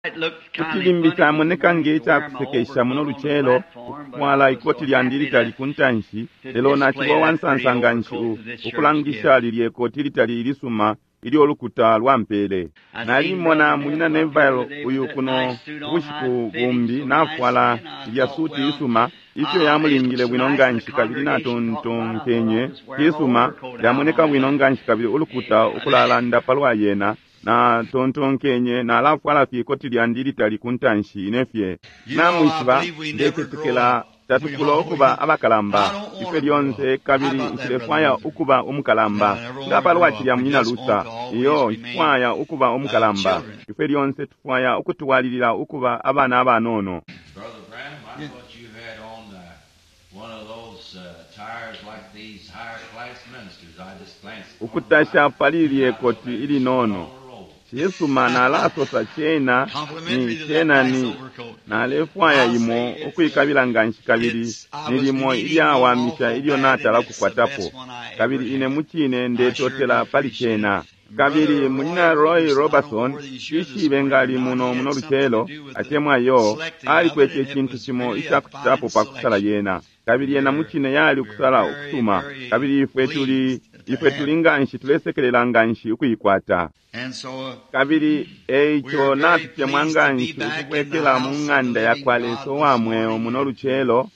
Kuti limbi camoneka nge cakusekesha muno lucelo ukufwala ikoti lyandi litali ku ntanshi, lelo naciba uwansansa nganshi ukulangisha lilye koti litali ilisuma ilyo lukuta lwampele. Nalimona munyina Neville uyu kuno ubushiku bumbi nafwala ilya suti isuma ifyo yamulingile bwino nganshi, kabili natontonkenye isuma yamoneka bwino nganshi, kabili ulukuta ukulalanda palwa yena. Natontonkenye nalafwala fye ikoti lyandi litali ku ntanshi ine fye. Namwishiba, ndecetekela tatukula ukuba abakalamba ifwe lyonse, kabili nshilefwaya ukuba umukalamba nga palwa cilya munyina Luther. Iyo, nshifwaya ukuba umukalamba. Ifwe lyonse tufwaya ukutwalilila ukuba abana abanono. Brother Branham, I thought you had on one of those tires like these higher class ministers. I just glanced. Ukutasha pali lye koti ilinono cisuma, nalasosa cena ni cena ni nalefwaya imo ukwikabila nganshi, kabili nilimo ilyawamisha ilyo natala kukwatapo, kabili ine mucine ndetotela pali cena. Kabili munyina Roy Robertson, ishibe ngali muno muno lucelo atemwa yo, alikwete icintu cimo icakucitapo pa kusala yena, kabili yena mucine yali ukusala ukusuma, kabili ifwe tuli ifwe tuli nganshi tulesekelela nganshi ukuikwata. Kabili eico natutemwa nganshi ukubwekela mu ng'anda yakwa Lesa uwa mweo muno lucelo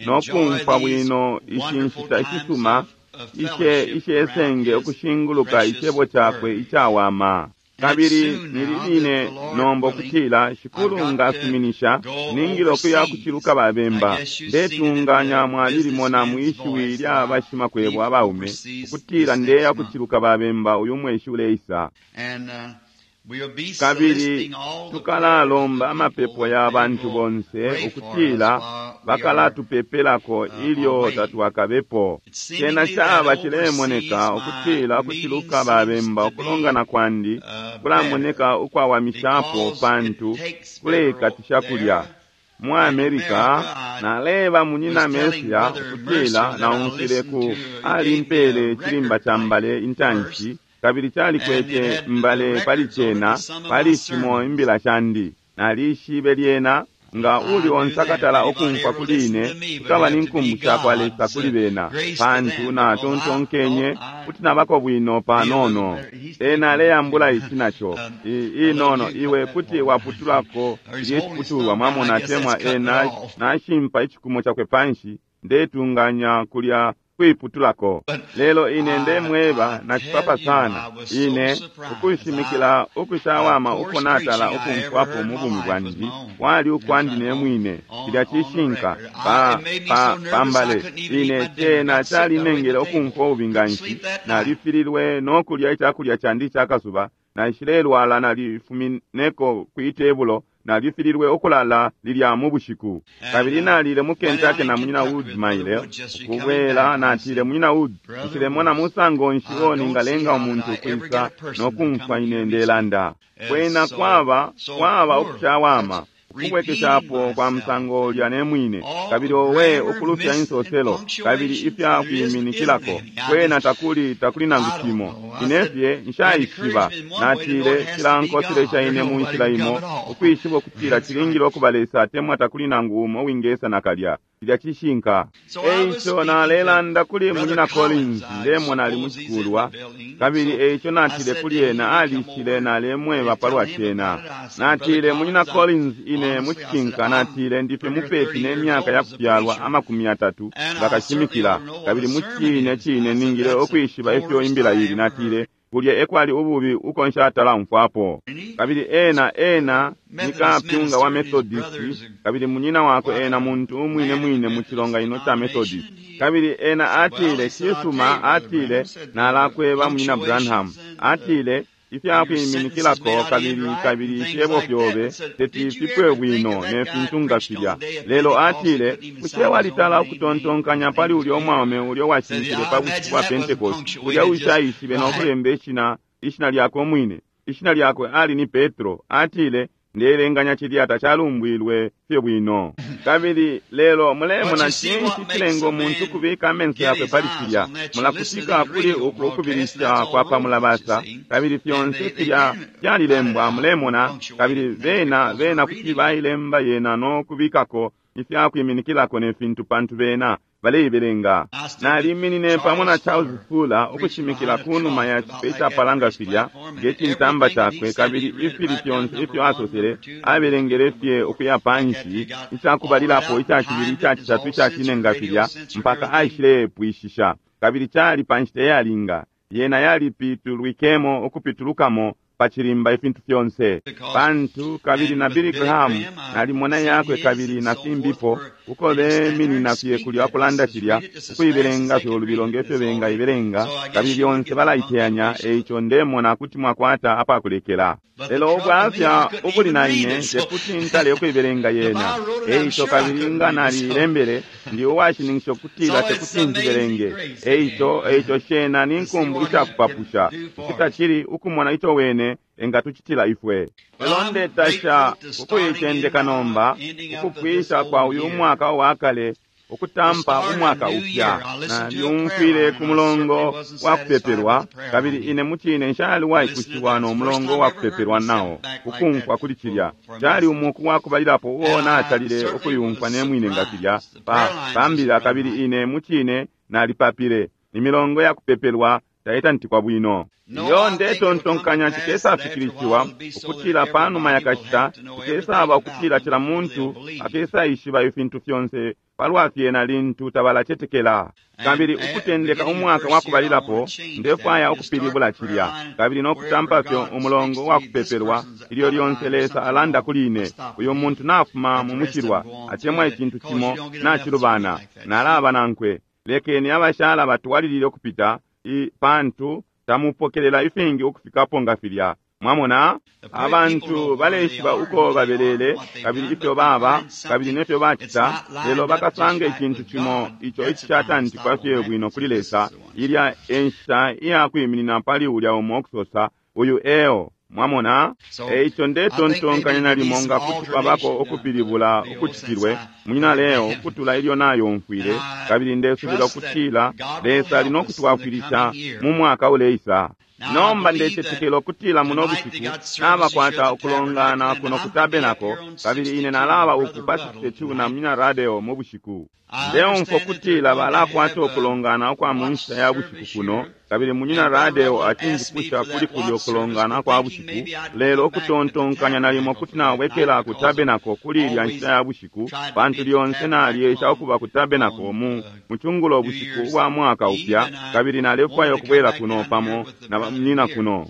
no kumfwa bwino ishi nshita ishisuma ishe ishesenge ukushinguluka icebo cakwe icawama. Kabili nili line nomba ukutila Shikulu ngasuminisha ningile ukuya kuciluka babemba. Ndetunganya mwalilimona mwishiwi lya bashimakwebo abaume ukutila ndeya kuciluka babemba uyu mweshi uleisa. Kabili tukalalomba amapepo ya bantu bonse ukutila bakalatupepelako ilyo tatwakabepo. Cena caba cilemoneka ukutila ukuciluka babemba ukulongana kwandi kulamoneka ukwawamishapo, pantu kuleikatisha kulya mu America. Naleba munyina Mesia ukutila naumfwile ku alimpele cilimba ca mbale intanshi, kabili calikwete mbale pali cena pali shimo imbila shandi. Nalishibe lyena nga uli onse akatala ukumfwa kuli ine, kukaba ni nkumbu shakwa Lesa kuli bena, pantu natontonkenye kuti nabako bwino panono. Ena aleyambula ici naco inono, iwe kuti waputulako ilye ciputulwa, mwamona, atemwa ena nashimpa icikumo cakwe panshi, ndetunganya kulya kwiputulako. Lelo ine ndemweba nacipapa sana ine ukushimikila ukushawama uko natala ukumfwapo mu bumi bwandi kwali ukwandi ne mwine. Cilya cishinka pa pa pambale ine cena calinengele ukumfwa ububi nganshi, nalifililwe no kulya icakulya candi icakasuba, naishilelwala, nalifumineko kwi tebulo, nalifililwe ukulala lilya mu bushiku. Kabili nalile mu Kentucky na munyina Wood maile ukubwela, natile, munyina Wood, nshilemona musango nshi uo ningalenga umuntu ukwisa no kumfwa ine ndelanda. Kwena kwaba kwaba ukushawama ukubwekeshapo kwa musango ulya ne mwine, kabili owe ukulufya insoselo kabili ifya kwiminikilako kwena takuli takuli nangu cimo. Ine fye nshaishiba. Natile cilankoselesha ine mu nshila imo ukwishiba ukutila cilingile ukuba Lesa atemwa takuli nangu umo wingesa nakalya. Cilya cishinka. Eico nalelanda kuli munyina Collins, ndemona ali mucikulwa, kabili eico natile kuli ena, alishile, nalemweba palwa cena. Natile, munyina Collins, ine mucishinka, natile ndife mupepi ne myaka ya kufyalwa 30 ngakashimikila, kabili mucine cine ningile ukwishiba ifyo imbila ili. Natile kulya ekwali ububi uko nshatala umfwapo. Kabili ena ena ni kapyunga wa Methodist, kabili munyina wakwe ena muntu umwine mwine mu cilonganino ca Methodist. Kabili ena atile, cisuma, atile, nalakweba munyina Branham, atile ifya kwiminikilako kabili kabili ifyebo fyobe teti fipwe bwino ne fintu nga filya. Lelo atile, bushe walitala ukutontonkanya pali ulya umwaume ulya washimikile pa bushiku bwa Pentecost, ulya ushaishibe no kulemba ishina ishina lyakwe umwine? Ishina lyakwe ali ni Petro. Atile, Ndeelenganya cilya tacalumbwilwe fye bwino. Kabili, lelo mulemona cinshi cilenga umuntu kubika amenso yakwe pali cilya. Mulakutika kuli uku ukubilisha kwa pa mulabasa, kabili fyonse filya fyalilembwa, mulemona, kabili bena kuti bailemba yena no kubikako ifyakwiminikilako ne fintu pantu bena baleibelenga. Naliminine pamo na Charles Fuller ukushimikila kunuma ya cipe icapalanga filya nge cintamba cakwe, kabili ifili fyonse ifyo asosele abelengele fye ukuya panshi, icakubalilapo, icacibili, icacitatu, icacine nga filya, mpaka aishilepwishisha. Kabili cali pa nshita iyalinga, yena yalipitulwikemo ukupitulukamo pa cilimba ifintu fyonse pantu. Kabili na Billy Graham nalimona yakwe kabili na fimbipo uko beminina fye kulya kulanda cilya, ukuibelenga fye ulubilo ngefyo bengaibelenga, kabili lyonse balaiteyanya. Eico ndemona kuti mwakwata apakulekela, lelo ubwafya ubuli na ine tekuti ntale ukuibelenga yena. Eico kabili nga nalilembele, ndi uwashininkisha ukutila tekuti njibelenge. Eico shena ni nkumbu icakupapusha ukuti ukumona ico wene engatucitila ifwe. Lelo ndetasha ukuitendeka nomba, ukupwisha kwa uyu mwaka wa kale, ukutampa umwaka upya. Nalyumfwile ku mulongo wa kupepelwa, kabili ine mucine nshali waikushiwa no mulongo wa kupepelwa nao. Ukumfwa kuli cilya cali umuku wa kubalilapo uo natalile ukuyumfwa ne mwine nga filya pa mbila, kabili ine mucine nalipapile. Imilongo ya kupepelwa taitantikwa bwino. Iyo ndetontonkanya cikesafikilishiwa ukutila panuma ya kashita cikesaba ukutila cila muntu akesaishiba ifintu fyonse palwa fyena lintu tabalacetekela. Kabili ukutendeka umwaka wa kubalilapo, ndefwaya ukupilibula cilya, kabili no kutampa fye umulongo wa kupepelwa ilyo lyonse Lesa alanda kuli ine, uyo muntu nafuma mu mushilwa atemwa icintu cimo nacilubana, nalaba nankwe. Lekeni abashala batwalilile ukupita, pantu tamupokelela ifingi ukufikapo nga filya. Mwamona, abantu baleishiba uko babelele kabili ifyo baba kabili nefyo bacita, lelo bakasanga icintu cimo ico icishatantikwa fye bwino kuli Lesa. Ilya enshita iyakwiminina pali ulya umo ukusosa, uyu eo. Mwamona, eico ndetontonkanya nalimo nga kuti kwabako ukupilibula ukucitilwe, munyina Leo, ukutula ilyo nayomfwile, kabili ndesubila ukutila Lesa ali no kutwafwilisha mu mwaka uleisa. Nomba ndecetekela ukutila muno bushiku nabakwata ukulongana kuno ku tabenako, kabili ine nalaba uku pa 62 na munyina Radio mu bushiku. Ndeumfwa ukutila balakwata ukulongana ukwa mu nshita ya bushiku kuno, kabili munyina Radio acinjipusha kuli kulya ukulongana kwa bushiku, lelo ukutontonkanya nalimo kuti nawekela ku tabenako kuli ilya nshita ya bushiku, pantu lyonse nalyesha ukuba ku tabenako mu mucungulo bushiku ubwa mwaka upya, kabili nalefwaya ukubwela kuno pamo na bamunyina kuno.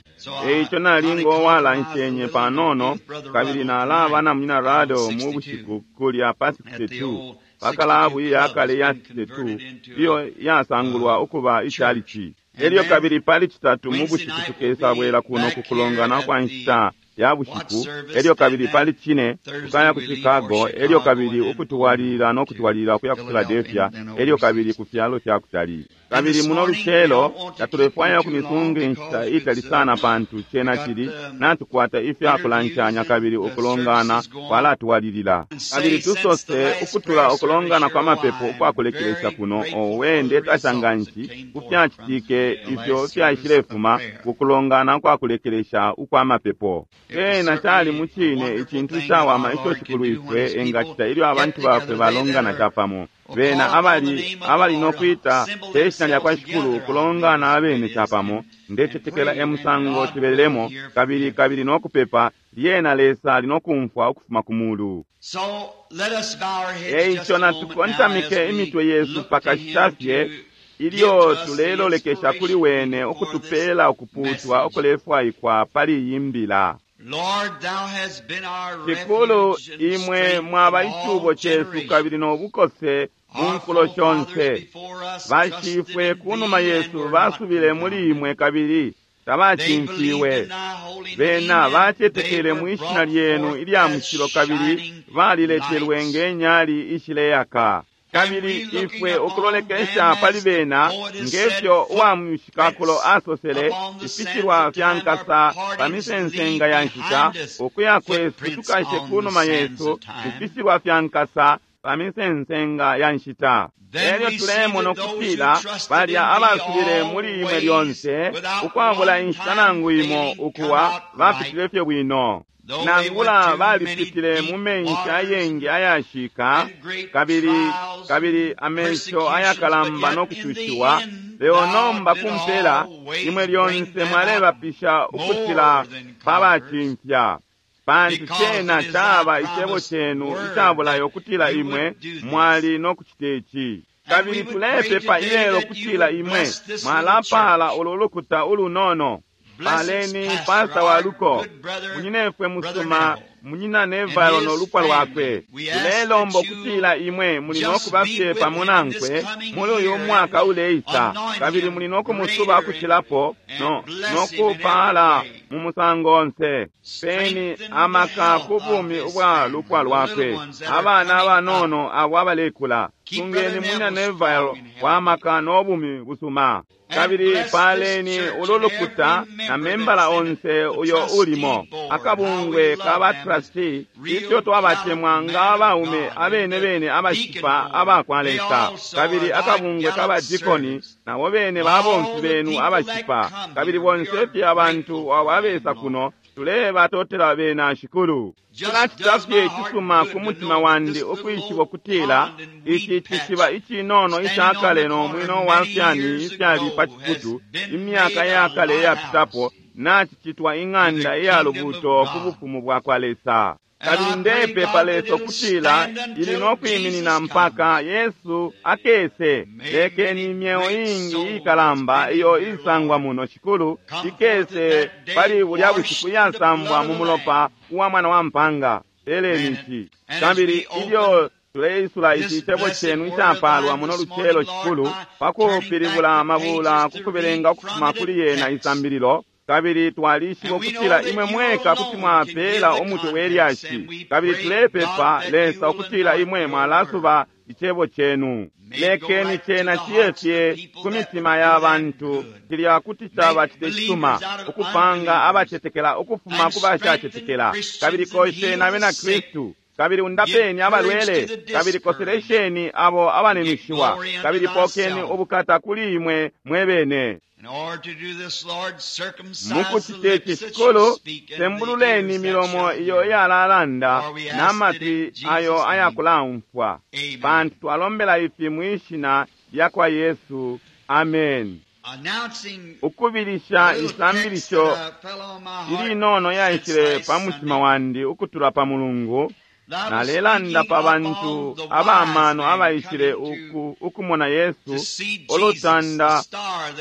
Eico nalinga owalanshenye panono, kabili nalaba na munyina Radio mu bushiku kulya pa 62 pakalabu iyakale ya 62 iyo yasangulwa ukuba icalici. Elyo kabili pali citatu mu bushiku tukesabwela kuno kukulongana kwa nshita ya bushiku. Elyo kabili pali cine tukaya ku Chicago, elyo kabili ukutwalilila no kutwalilila ukuya ku Philadelphia, elyo kabili ku fyalo fya kutali. Kabili muno lucelo tatulefwaya ukumisunga inshita itali sana, pantu cena cili natukwata ifya kulanshanya kabili ukulongana kwalatwalilila. Kabili tusose ukutula ukulongana kwa mapepo ukwakulekelesha kuno, owe ndetasha nganshi ku fyacitike ifyo fyaishilefuma kukulongana kwakulekelesha ukwa mapepo. Cena cali mucine icintu icawama ico Shikulu ifwe engacita ilyo abantu bakwe balongana capamo, bena abali no kwita pe shina lya kwa Shikulu, kulongana abene capamo. Ndecetekela emusango cibelelemo, kabili kabili no kupepa, lyena Lesa ali no kumfwa ukufuma ku mulu. Eico natukontamike imitwe yesu pakashita fye ilyo tulelolekesha kuli wene ukutupela ukuputwa ukulefwaikwa pali iyi mbila. Shikulu, imwe mwaba icubo cesu kabili no bukose mu nkulo shonse. Bashifwe kunuma yesu basubile muli imwe kabili tabacimfiwe. Bena bacetekele mwi shina lyenu ilya mushilo kabili baliletelwe nge nyali ishileyaka. Kabili ifwe ukulolekesha pali bena ngefyo uwa mushikakulo asosele, ifishilwa fya nkasa pa misensenga ya nshita, ukuya kwesu tukashe kunuma yesu ifishilwa fya nkasa pa misensenga ya nshita. Elyo tulemona ukutila balya abasubile muli imwe lyonse ukwabula inshita nangu imo ukuwa bapitile fye bwino. Nangula balipitile mu menshi ayengi ayashika kabili kabili amesho ayakalamba no kucushiwa, lelo nomba kumpela imwe lyonse mwalebapisha ukucila pa bacimfya, pantu cena caba icebo cenu icabulayo ukutila imwe mwali no kucita ici. Kabili tulepepa ilelo kutila imwe mwalapala ulu lukuta ulunono. Paleni pasta wa luko, munyinefwe musuma, munyina Neville no lupwa lwakwe. Tulelomba ukutila imwe muli no kuba fye pamo nankwe muli uyu mwaka uleisa, kabili muli no kumusuba ukucilapo no kupala mu musango onse. Peni amaka ku bumi ubwa lupwa lwakwe, abana abanono abo abalekula. Sungeni munyina Neville wa maka no bumi busuma. Kabili paleni ulu lukuta na membala onse uyo ulimo akabungwe ka ba trustee, ifyo twabacemwa nga abaume abene bene abashipa abakwa Lesa, kabili akabungwe ka badikoni nabo bene babomfi benu abashipa, kabili bonse fye abantu abo abesa kuno tulebatotela bena Shikulu. Cilacita fye icisuma ku mutima wandi ukwishiba ukutila ici cishiba icinono icakale no mwino wa fyani ifyali pa ciputu imyaka yakale iyapitapo nacicitwa ing'anda iya lubuuto ku bufumu bwa kwa Lesa. Kabili ndepepa Lesa ukutila ili no kwiminina mpaka Yesu akese. Lekeni imyeo iingi iikalamba iyo isangwa muno Shikulu ikese pali bulya bushiku iyasambwa mu mulopa uwa mwana wa mpanga. Peleni ici. Kabili ilyo tuleisula ici cebo cenu icapalwa muno lucelo Shikulu, pakupilibula amabula kukubelenga ukufuma kuli yena isambililo, kabili twalishiba ukutila imwe mweka kuti mwapela umutwe we lyashi, kabili tulepepa Lesa ukutila imwe mwalasuba icebo cenu. Lekeni cena ciye fye ku mitima ya bantu cilya kuti caba cite cisuma ukupanga abacetekela ukufuma ku bashacetekela, kabili kosheni abena Kristu, kabili undapeni abalwele, kabili koselesheni abo abanenushiwa, kabili pokeni ubukata kuli imwe mwe bene. Mukucite ci Shikulu, sembululeni imilomo iyo iyalalanda na matwi ayo ayakulaumfwa, pantu twalombela ifi mwishina lya kwa Yesu. Amen. Ukubilisha isambilisho ilinono yaishile pa mutima wandi ukutula pa Mulungu. Nalelanda pa bantu abamano abaishile ukumona Yesu, ulutanda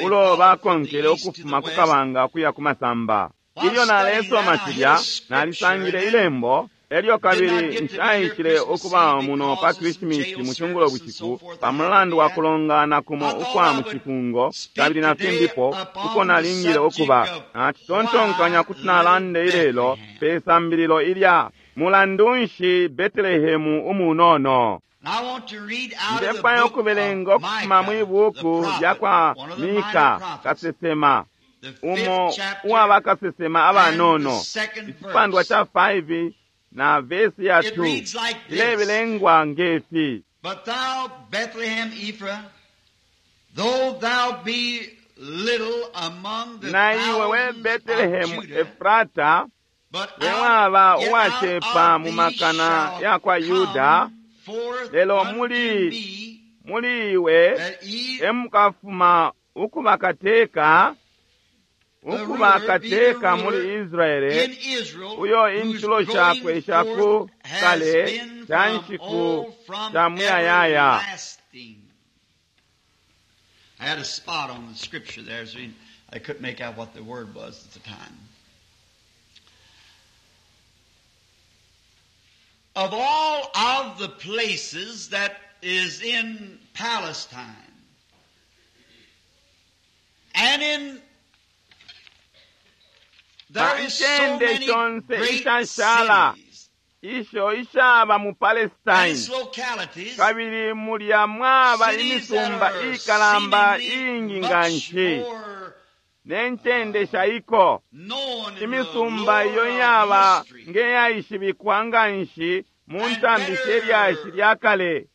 ulo bakonkele ukufuma ku kabanga kuya ku masamba. Ilyo nalesoma cilya, nalisangile ilembo. Elyo kabili nshaishile ukuba muno pa Krisimisi mu cungulo bushiku pa mulandu wa kulongana kumo ukwa mu cifungo kabili na fimbipo uko nalingile ukuba. Nacitontonkanya kuti nalande ilelo pe sambililo ilya mulandu nshi Betelehemu umunono. Ndefwaya ukubelenga ukufuma mwi buku lya kwa Mika kasesema, umo uwa bakasesema abanono, icipandwa ca 5 na vesi ya 2 ilebelengwa ngefi: But thou, Bethlehem Ephrath, though thou be little among the Na iwe we thousands of Betelehemu Judah, Efrata, but we out, waba yet out uwacepa of mu thee makana shall ya kwa Yuda, come forth lelo unto muli me muli iwe that ye emukafuma ukuba kateka, ukuba The ruler, be the kateka muli ruler Israele, in Israel, uyo whose intulo shakwe going sha ku forth has kale been sha from nshiku old, from sha muyayaya. everlasting. I had a spot on the scripture there, so I couldn't make out what the word was at the time. Of all of the places that is in Palestine and in Pa there is so ncende many shonse great ishashala cities. Isho ishaba mu And Palestine. its localities, Kabili mulya mwaba cities that imisumba are ikalamba seemingly iingi much nga nshi more ne ncende shaiko. known in the Imisumba iyo lore of yaba history. ngeyaishibikwa nga nshi mu And ntambi shelyashi better lya kale,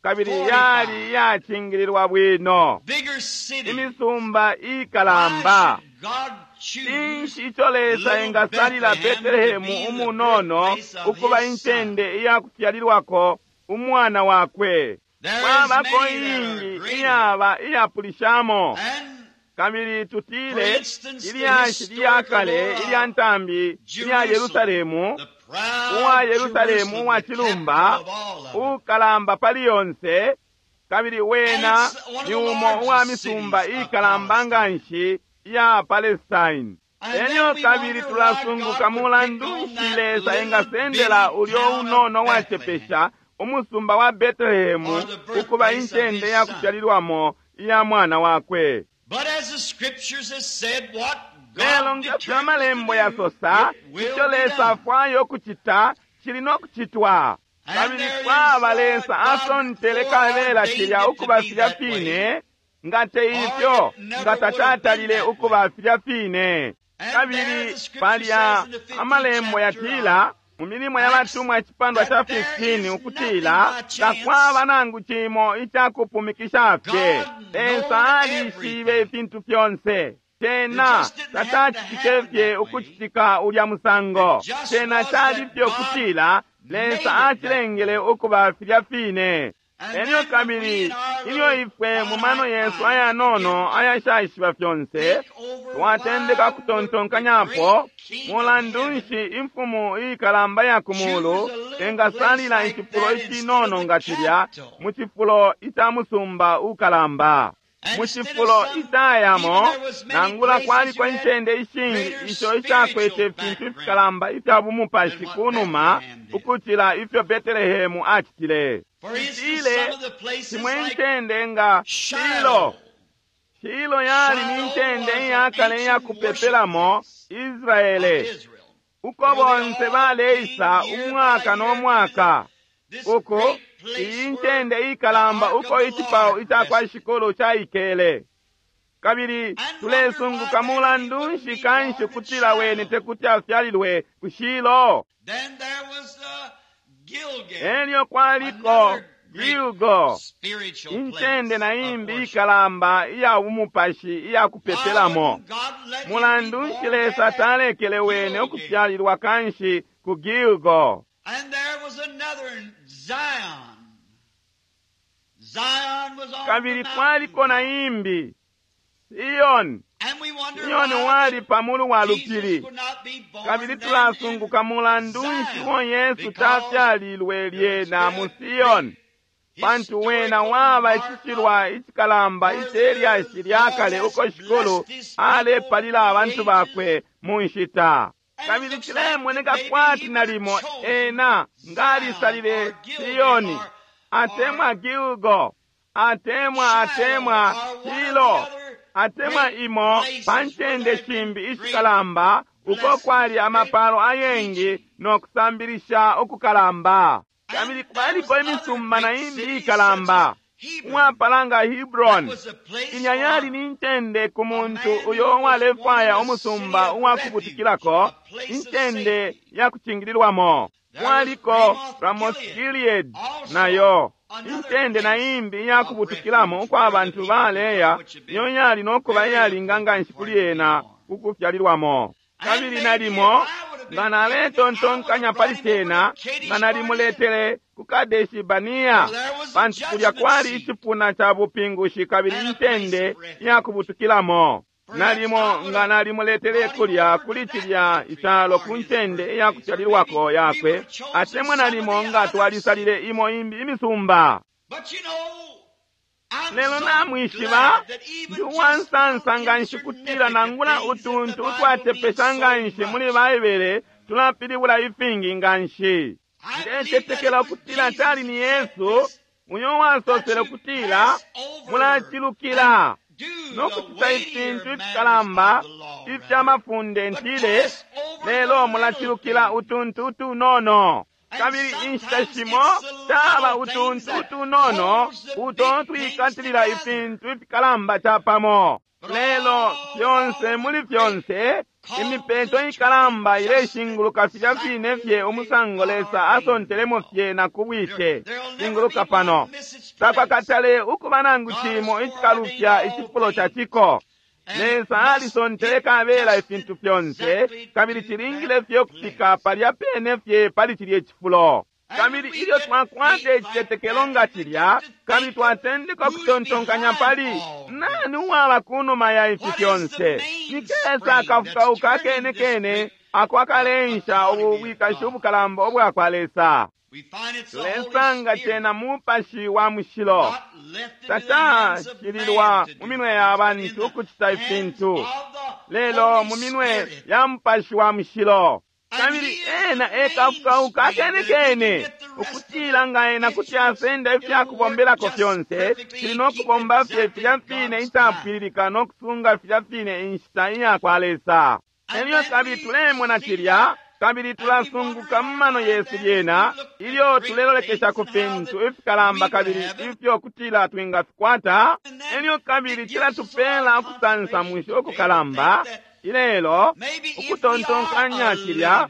kabili fortified. yali iyacingililwa bwino. Bigger cities. Imisumba Why ikalamba. should God choose Cinshi ico Lesa little engasalila Bethlehem to Betelehemu be the umunono birthplace of ukuba his son? incende iyakufyalilwako umwana wakwe? There is Kwabako many that are iingi greater. iyaba iyapulishamo. And Kabili for tutile instance, the ilyashi lya historical kale law ilya of ntambi ilya Jerusalem, Yerusalemu, the proud uwa Yerusalemu Jerusalem, uwa the capital cilumba, of all of it. ukalamba pali yonse, kabili And wena it's one of ni the umo uwa largest misumba cities of ikalamba nga Palestine. nshi iya Palestine. And Elyo then we kabili wonder why tulasunguka God would pick mulandu on nshi that Lesa little engasendela bitty ulyo town of unono Bethlehem wacepesha umusumba wa Betelehemu or the ukuba birthplace of incende his ya son. kufyalilwamo iya mwana wakwe. But as the scriptures has said, what Lelo God ngefyo determines to amalembo do, yasosa, it will ico be Lesa done. afwaya ukucita cili no kucitwa. And Kabili there is kwaba Lesa God asontele kabela foreordained cilya it to ukuba be filya that way, fine, nga te or ifyo it never nga would have been tacatalile that way. ukuba filya fine. And there Kabili the scripture palya says in the 15th amalembo chapter yatila of mu milimo ya Acts batumwa icipandwa ca that there 15 is nothing ukutila by chance. takwaba nangu cimo icakupumikisha fye. God Lesa knows alishibe everything. ifintu fyonse. It Cena just didn't have to tacacitike happen fye that way. ukucitika ulya musango. It just Cena was cali that fye God ukutila made Lesa it that acilengele way. ukuba filya fine. And Elyo then when we kabili in our ilyo little ifwe mu mano finite yesu minds ayanono begin to ayashaishiba fyonse think over twatendeka why would the kutontonkanyapo great King of mulandu heaven nshi imfumu ikalamba ya ku mulu choose a little place engasalila like icifulo that instead of icinono the nga cilya capital? mu cifulo ica musumba ukalamba, And mu instead of cifulo some, even icayamo, there was many nangula places kwaliko you had incende ishingi greater isho ishakwete spiritual ifintu background ifikalamba ifya bumupashi than what ku numa Bethlehem did. ukucila ifyo Betelehemu acitile. For instance, Tutile some of the places shimwe like incende nga Shilo. Shiloh. Shilo yali ni Shiloh ncende was an iyakale ancient worship iyakupepelamo place of Israele, Israel, uko where they bonse all baleisa came year by umwaka no year to mwaka. this Uko great iyi place where ncende the ikalamba ark of uko the icipao Lord ica kwa rested. Shikulu caikele. Kabili And wonder why tulesunguka then he mulandu wouldn't nshi be kanshi born at kutila wene Shiloh. te kuti afyalilwe ku Shilo. Then there was Gilgal, Elyo kwaliko another great Gilgo, spiritual incende place na of imbi worship. ikalamba iya bumupashi iya Why kupepelamo. wouldn't God let him be Mulandu nshi born Lesa there at talekele wene Gilgal? ukufyalilwa kanshi ku Gilgo? And there was another in Zion. Zion was on the Kabili kwaliko na mountaintop. imbi Siyoni. And we wonder Siyoni why wali pamulu wa Jesus lupili. would not be born Kabili then in tulasunguka mulandu nshi Zion, wo Yesu because tafyalilwe there has lyena been mu a Siyoni, great pantu wena historical waba mark of icishilwa icikalamba where icelyashi the lya Lord kale has uko Shikulu blessed his people alepalila for abantu ages. bakwe mu nshita. And it Kabili looks like that cilemoneka maybe kwati he would have nalimo chosen ena Zion ngalisalile or Gilgal Siyoni, or atemwa Gilgo, atemwa Shiloh atemwa or one of the Shilo, other atemwa great imo places pa where ncende there had been shimbi great ishikalamba uko blessings, kwali great amapalo ayengi teaching. no kusambilisha ukukalamba. And Kabili there was kwaliko other imisumba na great imbi cities such as ikalamba Hebron. uwapala nga That Hebron. was a place Ilya yali for ni ncende ku a muntu man uyo who was wanting uwalefwaya a city umusumba of refuge, uwakubutukilako, a place of incende safety. ya kucingililwamo. There was Kwaliko Ramoth Ramoth Gilead, Gilead also nayo another incende na place imbi of iyakubutukilamo refuge uko where the abantu people could come, baleya, which had iyo been yali nokuba very iyalinga nga appropriate nshi for kuli him to be ena born. kukufyalilwamo. And Kabili maybe if nalimo I would have nga been thinking, I would have naletontonkanya brought pali him over to cena, nga Kadesh Barnea. nalimuletele ku Kadeshi Bania, For there was a pantu kulya judgment kwali seat icipuna ca bupingushi kabili and a place incende of refuge. iyakubutukilamo. Perhaps Nalimo I would nga have nalimuletele brought him kulya over to kuli that cilya country icalo for ku his ncende birthplace. Or maybe iyakufyalilwako we would yakwe, have chosen atemwa some of nalimo the nga other twalisalile cities. imo imbi imisumba. But you know, I'm Lelo so namwishiba glad that even ndi just little uwansansa nga nshi kutila insignificant nangula things in the utuntu Bible mean utwatepesha nga so nshi muli much. Baibele tulapilibula ifingi nga nshi. I believe that it Ndecetekela was ukutila Jesus cali ni that said Yesu this, uyo that wasosele you ukutila pass over and mulacilukila do no the kucita weightier ifintu matters ifikalamba of the law, ifya rather, mafunde but ntile, pass over the lelo little mulacilukila things. utuntu utunono. Kabili inshita shimo caba utuntu utunono uto twikatilila ifintu ifikalamba capamo. Lelo fyonse muli fyonse, imipeto ikalamba ileshinguluka filya fine fye umusango Lesa asontelemo fye na kubwite. Shinguluka pano. Takwakatale ukuba nangu cimo icikalufya icifulo ca ciko. Lesa alisontele kabela ifintu fyonse, kabili cilingile fye ukufika palya pene fye pali cilye cifulo. Kabili ilyo twakwata icitetekelo nga cilya, kabili twatendeka ukutontonkanya pali nani uwaba kunuma ya ifi fyonse, ni kesa akafukauka akene kene ako akalensha ubu bwikashi ubukalamba ubwa kwa Lesa. Tulesanga cena Mupashi wa Mushilo. Tacashililwa mu minwe ya bantu ukucita ifintu, lelo mu minwe ya Mupashi wa Mushilo. Kabili ena ekafukauka akene kene, ukutila nga ena kuti asenda ifyakubombelako fyonse, fili no kubomba fye filya fine icapwililika no kusunga filya fine inshita iya kwa Lesa. Elyo kabili tulemona cilya, kabili tulasunguka mu mano yesu lyena, ilyo tulelolekesha ku fintu ifikalamba kabili ifyo kutila twingafikwata. Elyo kabili cilatupela ukusansamusha ukukalamba ilelo ukutontonkanya cilya,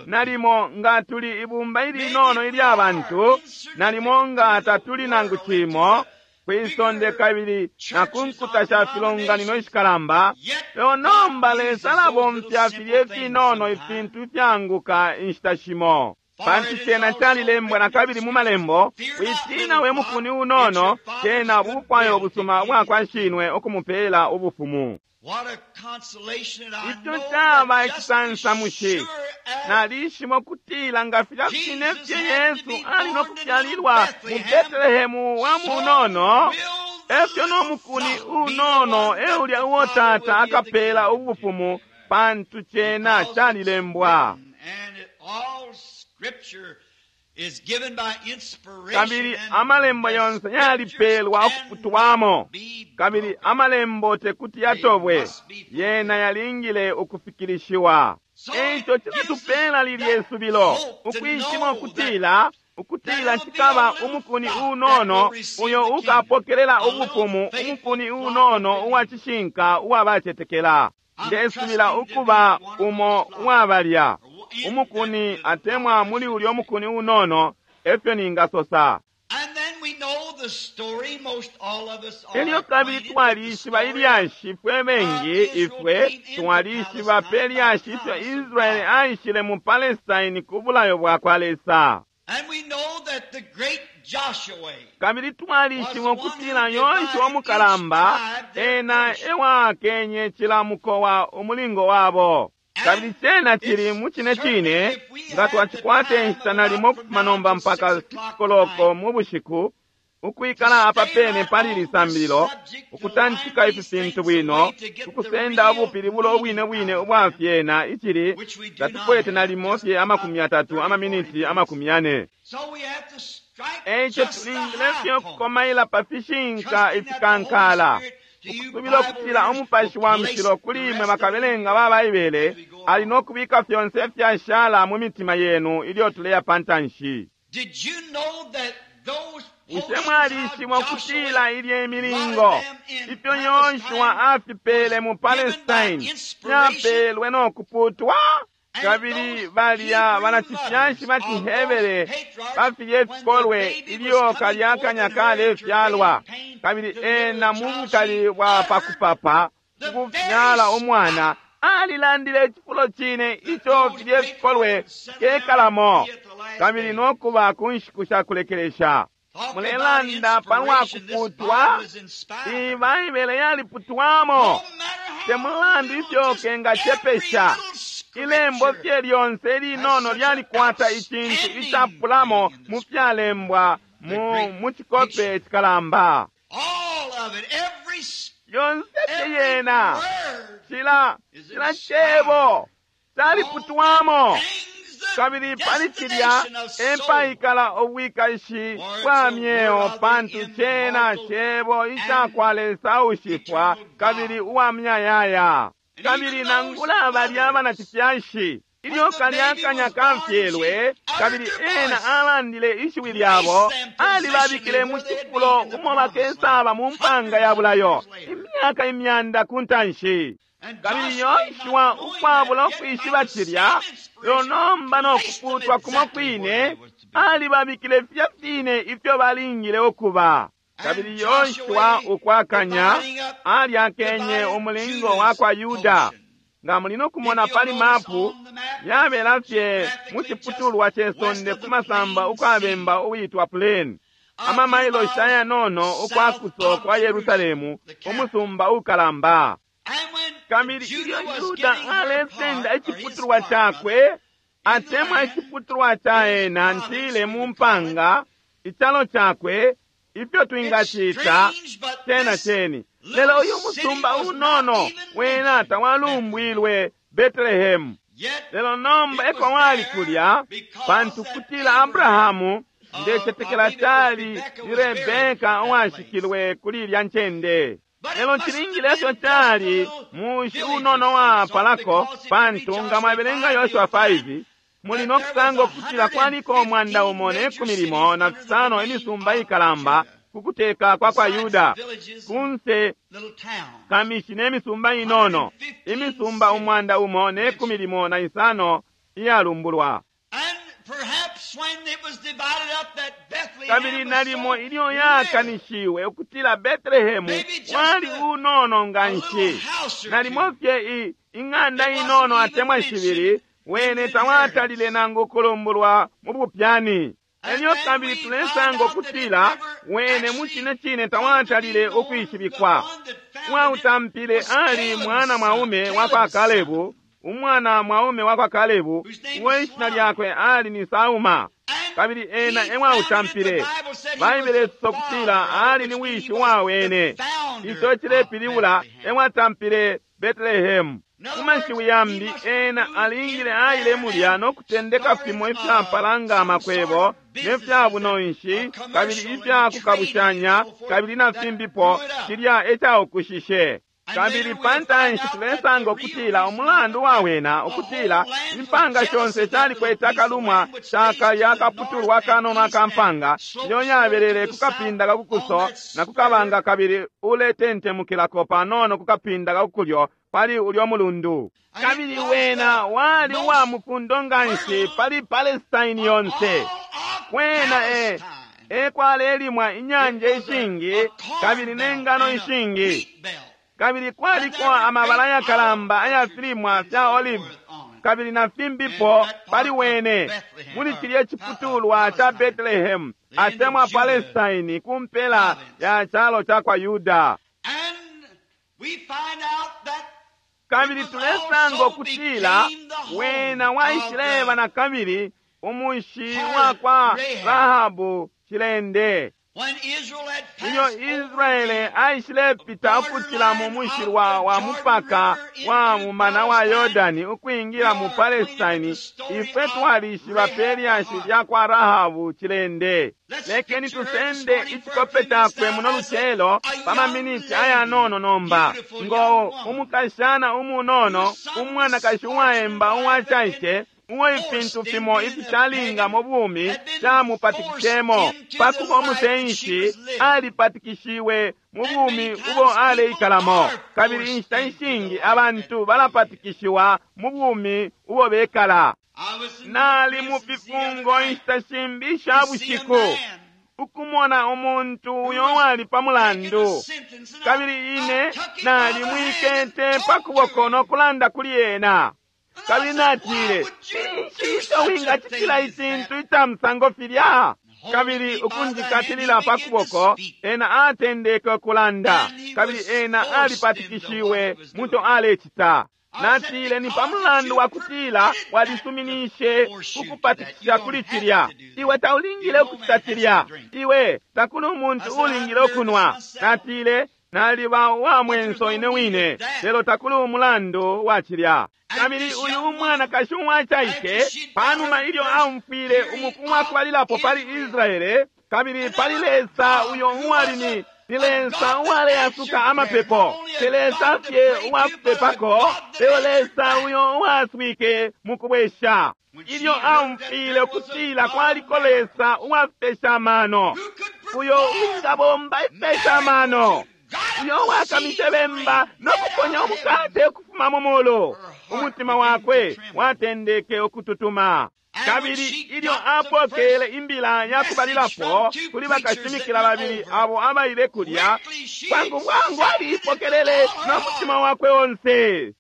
nalimo nga tuli ibumba ilinono ilya bantu, nalimo nga tatuli nangu cimo kwisonde kabili na ku nkuta sha filonganino ishikalamba, lelo nomba Lesa alabomfya filya ifinono ifintu ifyanguka inshita shimo. Pantu cena calilembwa na kabili mu malembo, witina we mukuni unono, cena bufwayo ubusuma ubwa kwa shinwe ukumupeela ubufumu. Ico caba icisansamushi. Nalishimo kutila nga filya fine fye Yesu ali no kufyalilwa mu Betelehemu wa munono, efyo no mukuni unono eulya uo Tata akapeela ubufumu, pantu cena calilembwa. Kabili amalembo yonse yalipelwa ukuputwamo, kabili amalembo tekuti yatobwe, yena yalingile ukufikilishiwa. Eico cilatupela lilye subilo, ukwishima ukutila ukutila cikaba umukuni unono uyo ukapokelela ubufumu, umukuni unono uwa cishinka uwa bacetekela. Ndesubila ukuba umo uwabalya umukuni atemwa muli ulyo mukuni unono, efyo ningasosa. Elyo kabili twalishiba ilyashi fwe bengi, ifwe twalishiba pe lyashi ifyo Israeli aishile mu Palestine ku bulayo bwa kwa Lesa. Kabili twalishiba ukutila Yoshua umukalamba ena ewakenye cila mukowa umulingo wabo. Kabili cena cili mu cine cine nga twacikwata inshita nalimo ukufuma nomba mpaka 6 koloko mu bushiku, ukwikala apa pene pali lisambililo, ukutantika ifi fintu bwino, ukusenda ubupilibulo ubwine bwine ubwa fyena, icili tatukwete nalimo fye 30 amaminiti 40. Eico tulingile fye ukukomaila pa fishinka ifikankala, ukusubila ukutila Umupashi wa Mushilo kuli imwe bakabelenga ba Baibele ali no kubika fyonse ifyashala mu mitima yenu ilyo tuleya pantanshi. Bushe mwalishiba ukutila ilye imilingo ifyo Yoshua afipele mu Palestine fyapelwe no kuputwa? Kabili balya banacifyashi ba ciHebere bafilye fikolwe ilyo kalya akanya kalefyalwa, kabili ena mu bukali bwa pakupapa ukufyala umwana alilandile icifulo cine ico filye fikolwe kekalamo, kabili no kuba ku nshiku sha kulekelesha. Mulelanda palwa kuputwa, iyi Baibele yaliputwamo. Te mulandu ifyo kengacepesha, ilembo fye lyonse linono lyalikwata icintu icapulamo mu fyalembwa mu cikope cikalamba. Yonse fye yena cila cebo caliputwamo. Kabili pali cilya epaikala ubwikashi bwa myeo, pantu cena cebo icakwa Lesa ushifwa kabili uwa myayaya. Kabili nangula balya banacifyashi Ilyo kalya kanya kafyelwe, kabili ena alandile ishiwi lyabo, alibabikile mu cifulo umo bakesaba mu mpanga ya bulayo, imyaka imyanda ku ntanshi. Kabili Yoshua ukwabula ukwishiba cilya, lelo nomba no kuputwa kumo kwine, alibabikile fya fine ifyo balingile ukuba. Kabili Yoshua ukwakanya alyakenye umulingo wa kwa Yuda. Nga muli no kumona pali mapu, yabela fye mu ciputulwa ce sonde ku masamba ukwabemba uwitwa Plain, amamailoshi ayanono ukwakuso kwa Yerusalemu, umusumba ukalamba. Kabili ilyo Yuda alesenda iciputulwa cakwe, atemwa iciputulwa ca ena ntile mu mpanga, icalo cakwe, ifyo twingacita cena ceni. Lelo uyu musumba unono wena tawalumbwilwe Betelehemu. Lelo nomba eko wali kulya, pantu kutila Abrahamu ndecetekela cali ni Rebeka uwashikilwe kuli ilya ncende. Lelo cilingile ifyo cali mushi unono wapalako, pantu nga mwabelenga Yoshua 5 muli no kusanga ukutila kwaliko 115 imisumba ikalamba ku kuteka kwa kwa Yuda, kunse kamishi ne misumba inono, imisumba 115 iyalumbulwa. Kabili nalimo ilyo yakanishiwe ukutila Betelehemu wali unono nga nshi, nalimo fye ing'anda inono atemwa shibili, wene tawatalile nangu kulumbulwa mu bupyani. Elyo kabili tulesanga ukutila wene mu cine cine tawatalile ukwishibikwa. Uwautampile ali mwana mwaume wa kwa Kalebu, umwana mwaume wa kwa Kalebu, uwe ishina lyakwe ali ni Sauma, kabili ena ewautampile. Baibele isosa ukutila ali ni wishi wa wene. Ico cilepilibula ewatampile Betelehemu. Mu mashiwi yambi, ena alingile aile mulya no kutendeka fimo ifyapala nga amakwebo ne fya bunonshi kabili ifya kukabushanya kabili na fimbipo, cilya ecaukushishe. Kabili pa ntanshi tulesanga ukutila umulandu wa wena ukutila impanga shonse shalikwete akalumwa shaka yakaputulwa kanono akampanga iyo yabelele kukapinda kakukuso na kukabanga, kabili uletentemukilako panono kukapinda kakukulyo pali ulyo mulundu. Kabili wena wali uwa mufundo nga nshi pali Palestine yonse. Wena ekwalelimwa inyanja ishingi kabili nengano ishingi, kabili kwaliko amabala yakalamba ayafilimwa fya olive kabili na fimbipo pali wene muli cilya ciputulwa ca Betelehemu atemwa Palestine ku mpela ya calo ca kwa Yuda. Kabili tulesanga ukutila wena waishileba na kabili umushi wa kwa Rahabu cilende. Ilyo Israele aishilepita ukucila mu mushilwa wa mupaka wa mumana wa Yordani ukwingila mu Palestine, ifwe twalishiba pe lyashi lya kwa Rahabu cilende. Lekeni tusende icikope cakwe muno lucelo pa maminiti ayanono nomba, ngo umukashana umunono, umwanakashi uwaemba uwacaice, uwo ifintu fimo ifishalinga mu bumi camupatikishemo. Pakuba umusenshi, alipatikishiwe mu bumi ubo aleikalamo, kabili inshita ishingi abantu balapatikishiwa mu bumi ubo bekala. Nali mu fifungo inshita shimbi isha bushiku, ukumona umuntu uyo wali pa mulandu, kabili ine nalimwikete pa kuboko no kulanda kuli ena. Kabili natile, cinshi ico wingacitila icintu ica musango filya? Kabili ukunjikatilila pa kuboko, ena atendeke ukulanda, kabili ena alipatikishiwe muco alecita. Natile, ni pa mulandu wa kutila walisuminishe kukupatikisha kuli cilya. Iwe taulingile ukucita cilya. Iwe takuli umuntu ulingile ukunwa. Natile, naliba uwa mwenso ine wine, lelo takuli umulandu wa cilya. Kabili uyu umwanakashi uwacaice, panuma ilyo aumfwile umuku wakubalilapo pali Israele, kabili pali Lesa uyo uwali ni Ni Lesa uwaleasuka amapepo, te Lesa fye uwakupepako, lelo Lesa uyo uwaswike mukubwesha. Ilyo aumfwile ukutila kwaliko Lesa uwafipesha amano, uyo uwingabomba ifipesha amano, uyo uwakamishe bemba no kuponya umukate ukufuma mu mulu, umutima wakwe watendeke ukututuma. Kabili ilyo apokele imbila ya kubalilapo kuli bakashimikila babili abo abaile kulya, bwangu bwangu aliipokelele no mutima wakwe onse.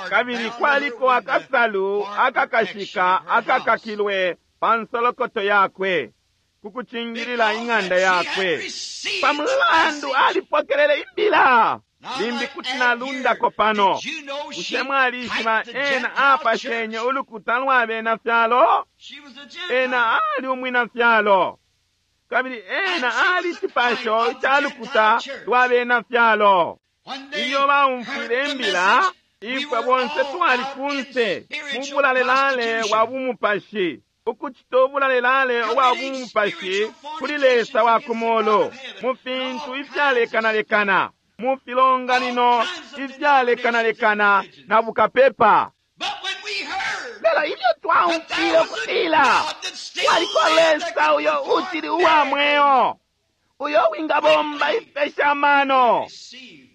Kabili kwaliko akasalu akakashika akakakilwe pa nsolokoto yakwe kukucingilila ing'anda yakwe. Pa mulandu alipokelele imbila. Limbi kuti nalundako pano. Bushe mwalishiba ena apashenye ulukuta lwa bena fyalo? Ena ali umwina fyalo, kabili ena ali cipasho ca lukuta lwa bena fyalo. Ilyo baumfwile imbila, ifwe bonse twali kunse mu bulalelale bwa bumupashi, ukucita ubulalelale ubwa bumupashi kuli Lesa wa kumulu mu fintu ifyalekanalekana, mu filonganino ifyalekanalekana na bukapepa. Lelo ilyo twaumfwile ukutila kwaliko Lesa uyo uchili uwa mweo, uyo wingabomba ifipesha amano,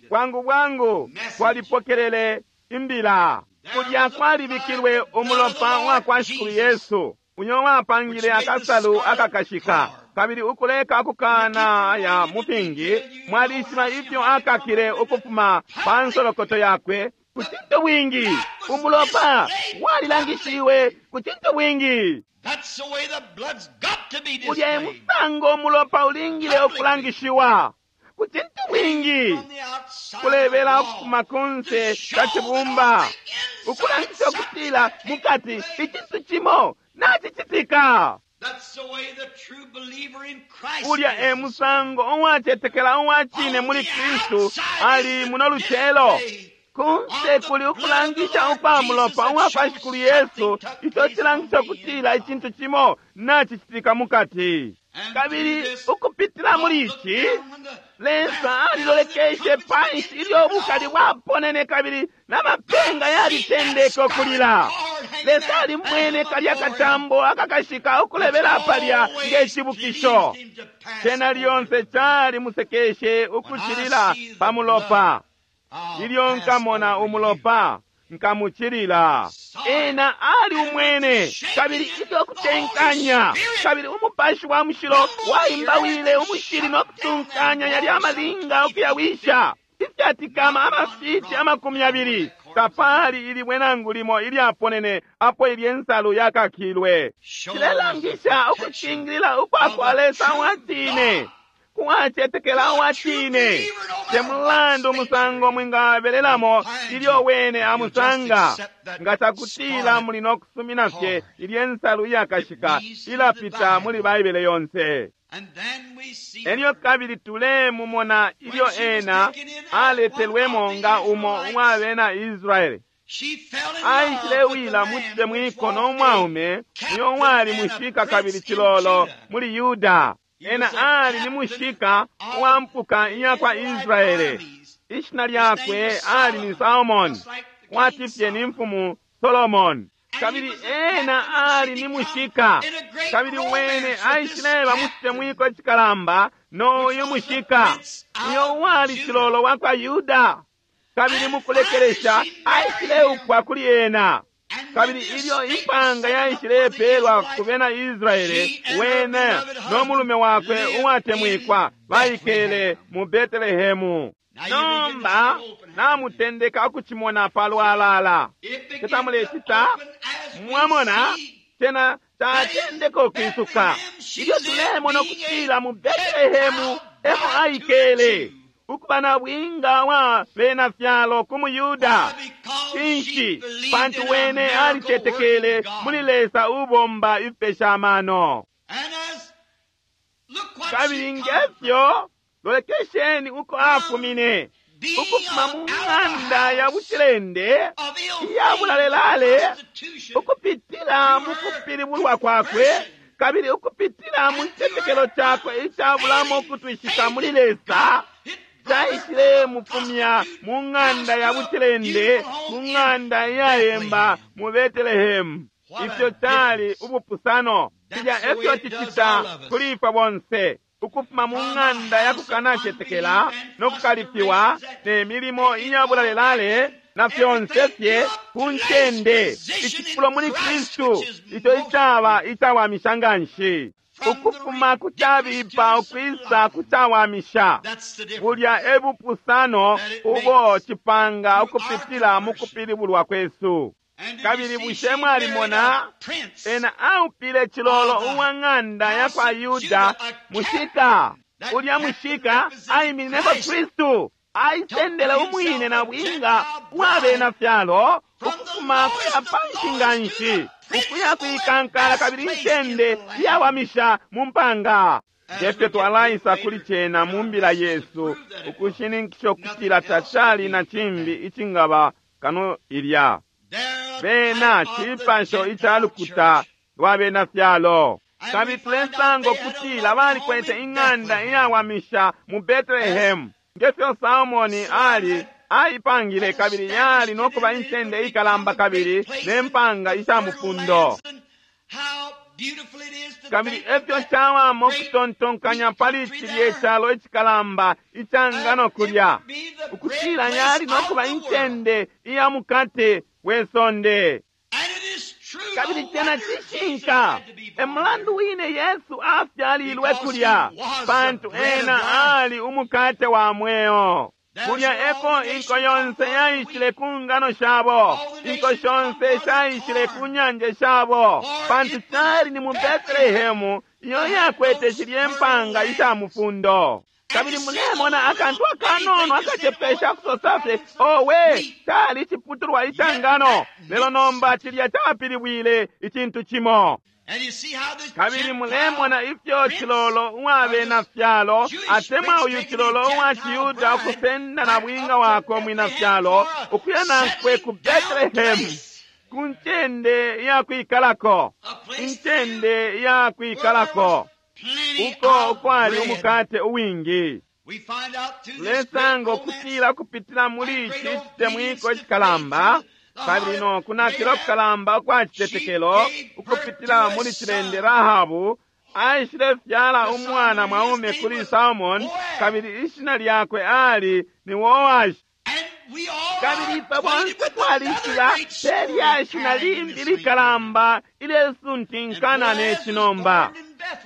bwangu bwangu twalipokelele imbila. Kulya kwalibikilwe umulopa wa kwa Shikulu Yesu, uyo wapangile akasalu akakashika, kabili ukuleka kukana ya mufingi. Mwalishiba ifyo akakile ukufuma pa nsolokoto yakwe ku cintu bwingi. Umulopa walilangishiwe ku cintu bwingi. Ulya e musango umulopa ulingile ukulangishiwa ku cintu bwingi, kulebela ukufuma kunse ka cibumba, ukulangisha ukutila mukati icintu cimo nacicitika. Ulya e musango uwacetekela uwa cine muli Kristu ali muno lucelo. Kunse kuli ukulangisha ukwa mulopa uwa kwa Shikulu Yesu, ico cilangisha ukutila icintu cimo nacicitika mukati. Kabili ukupitila muli ici, Lesa alilolekeshe panshi ilyo ubukali bwaponene kabili n'amapenga yalitendeke ukulila. Lesa alimwene kalya katambo akakashika ukulebela palya ngecibukisho. Cena lyonse cali musekeshe ukucilila pa mulopa. Ilyo nkamona umulopa, nkamucilila. Ena ali umwene, kabili ilyo kutenkanya, kabili umupashi wa mushilo waimbawile umushili no kutunkanya yali amalinga ukuyawisha ifyatikama amafiti 20. Tapali ilibwe nangu limo ilyaponene apo ilye nsalu yakakilwe. Cilelangisha ukucingilila ukwa kwa Lesa wa cine, kuwacetekela uwa cine. Te mulandu umusango mwingabelelamo ilyo wene amusanga, nga cakutila muli no kusumina fye ilye nsalu iyakashika ilapita muli Baibele yonse. Elyo kabili tulemumona ilyo ena aletelwemo nga umo uwa bena Israele. Aishilewila mu citemwiko no mwaume uyo wali mushika kabili cilolo muli Yuda. Ena ali ni mushika uwa mpuka iya kwa Israele. Ishina lyakwe ali ni Salmon, kwati fye ni mfumu Solomon. Kabili ena ali ni mushika, kabili wene aishileba mu citemwiko cikalamba n'uyu mushika uyo wali cilolo wa kwa Yuda. Kabili mukulekelesha aishileupwa kuli ena. Kabili ilyo impanga yaishilepelwa ku bena Israele, wene no mulume wakwe uwatemwikwa baikele mu Betelehemu. Nomba namutendeka ukucimona palwalala. Tetamulecita, mwamona cena catendeka ukwisuka. Ilyo tulemona ukutila mu Betelehemu emo aikele, ukuba na bwinga wa bena fyalo ku muYuda. Cinshi? Pantu wene alicetekele muli Lesa ubomba ifipesha amano. Kabili ngefyo lolekesheni uko afumine, ukufuma mu ng'anda ya bucilende iya bulalelale, ukupitila mu kupilibulwa kwakwe Kabili ukupitila mu citetekelo cakwe icabulamo ukutwishika muli Lesa, caishile mufumya mu ng'anda ya bucilende, mu ng'anda iyayemba mu Betelehemu. Ifyo cali ubupusano! Filya efyo cicita kuli ifwe bonse, ukufuma mu ng'anda ya kukanacetekela no kukalifiwa ne milimo iyabulalelale na fyonse fye ku ncende, icifulo muli Kristu ico icaba icawamisha nganshi. Ukufuma ku cabipa ukwisa ku cawamisha. Bulya e bupusano ubo cipanga ukupitila mu kupilibulwa kwesu. Kabili bushe mwalimona ena aupile cilolo uwa ng'anda ya kwa Yuda mushika. Ulya mushika aiminineko Kristu, aisendele umwine na bwinga uwa bena fyalo ukufuma kuya panshi nganshi, ukuya kuikankala kabili incende iyawamisha mu mpanga. Ngefyo twalaisa kuli cena mu mbila yesu, ukushininkisha ukutila tacali na cimbi icingaba kano ilya. Bena cipasho ica lukuta lwa bena fyalo. Kabili tulesanga ukutila balikwete ing'anda iyawamisha mu Betelehemu, ngefyo Salmoni ali aipangile, kabili yali nokuba incende ikalamba kabili ne mpanga isha mufundo. Kabili efyo cawama ukutontonkanya pali cilye calo icikalamba ica ngano kulya, ukutila yali nokuba incende iya mukate we sonde. Kabili cena cishinka, e mulandu wine Yesu afyalilwe kulya, pantu ena ali umukate wa mweo. Kulya eko inko yonse yaishile ku ngano shabo, inko shonse shaishile ku nyanje shabo, pantu cali ni mu Betelehemu iyo yakwete shilye mpanga isha mufundo. Kabili mulemona akantu akanono akacepesha kusosa fye, owe, cali ciputulwa ica ngano, lelo nomba cilya capilibwile icintu cimo. Kabili mulemona ifyo cilolo uwa bena fyalo atemwa uyu cilolo uwa ciyuda ukusenda na bwinga wakwe mwina fyalo ukuya nankwe ku Betelehemu, ku ncende ya kwikalako, incende ya kwikalako uko ukwali umukate uwingi. Tulesanga ukutila kupitila muli ici citemwiko icikalamba kabili no kunakila kukalamba ukwa citetekelo ukupitila muli cilende Rahabu, aishile fyala umwana mwaume kuli Salmon, kabili ishina lyakwe ali ni Boashi. Kabili ifwe bonse twalishiba pe lyashi na limbi likalamba ilesuntinkana ne cinomba.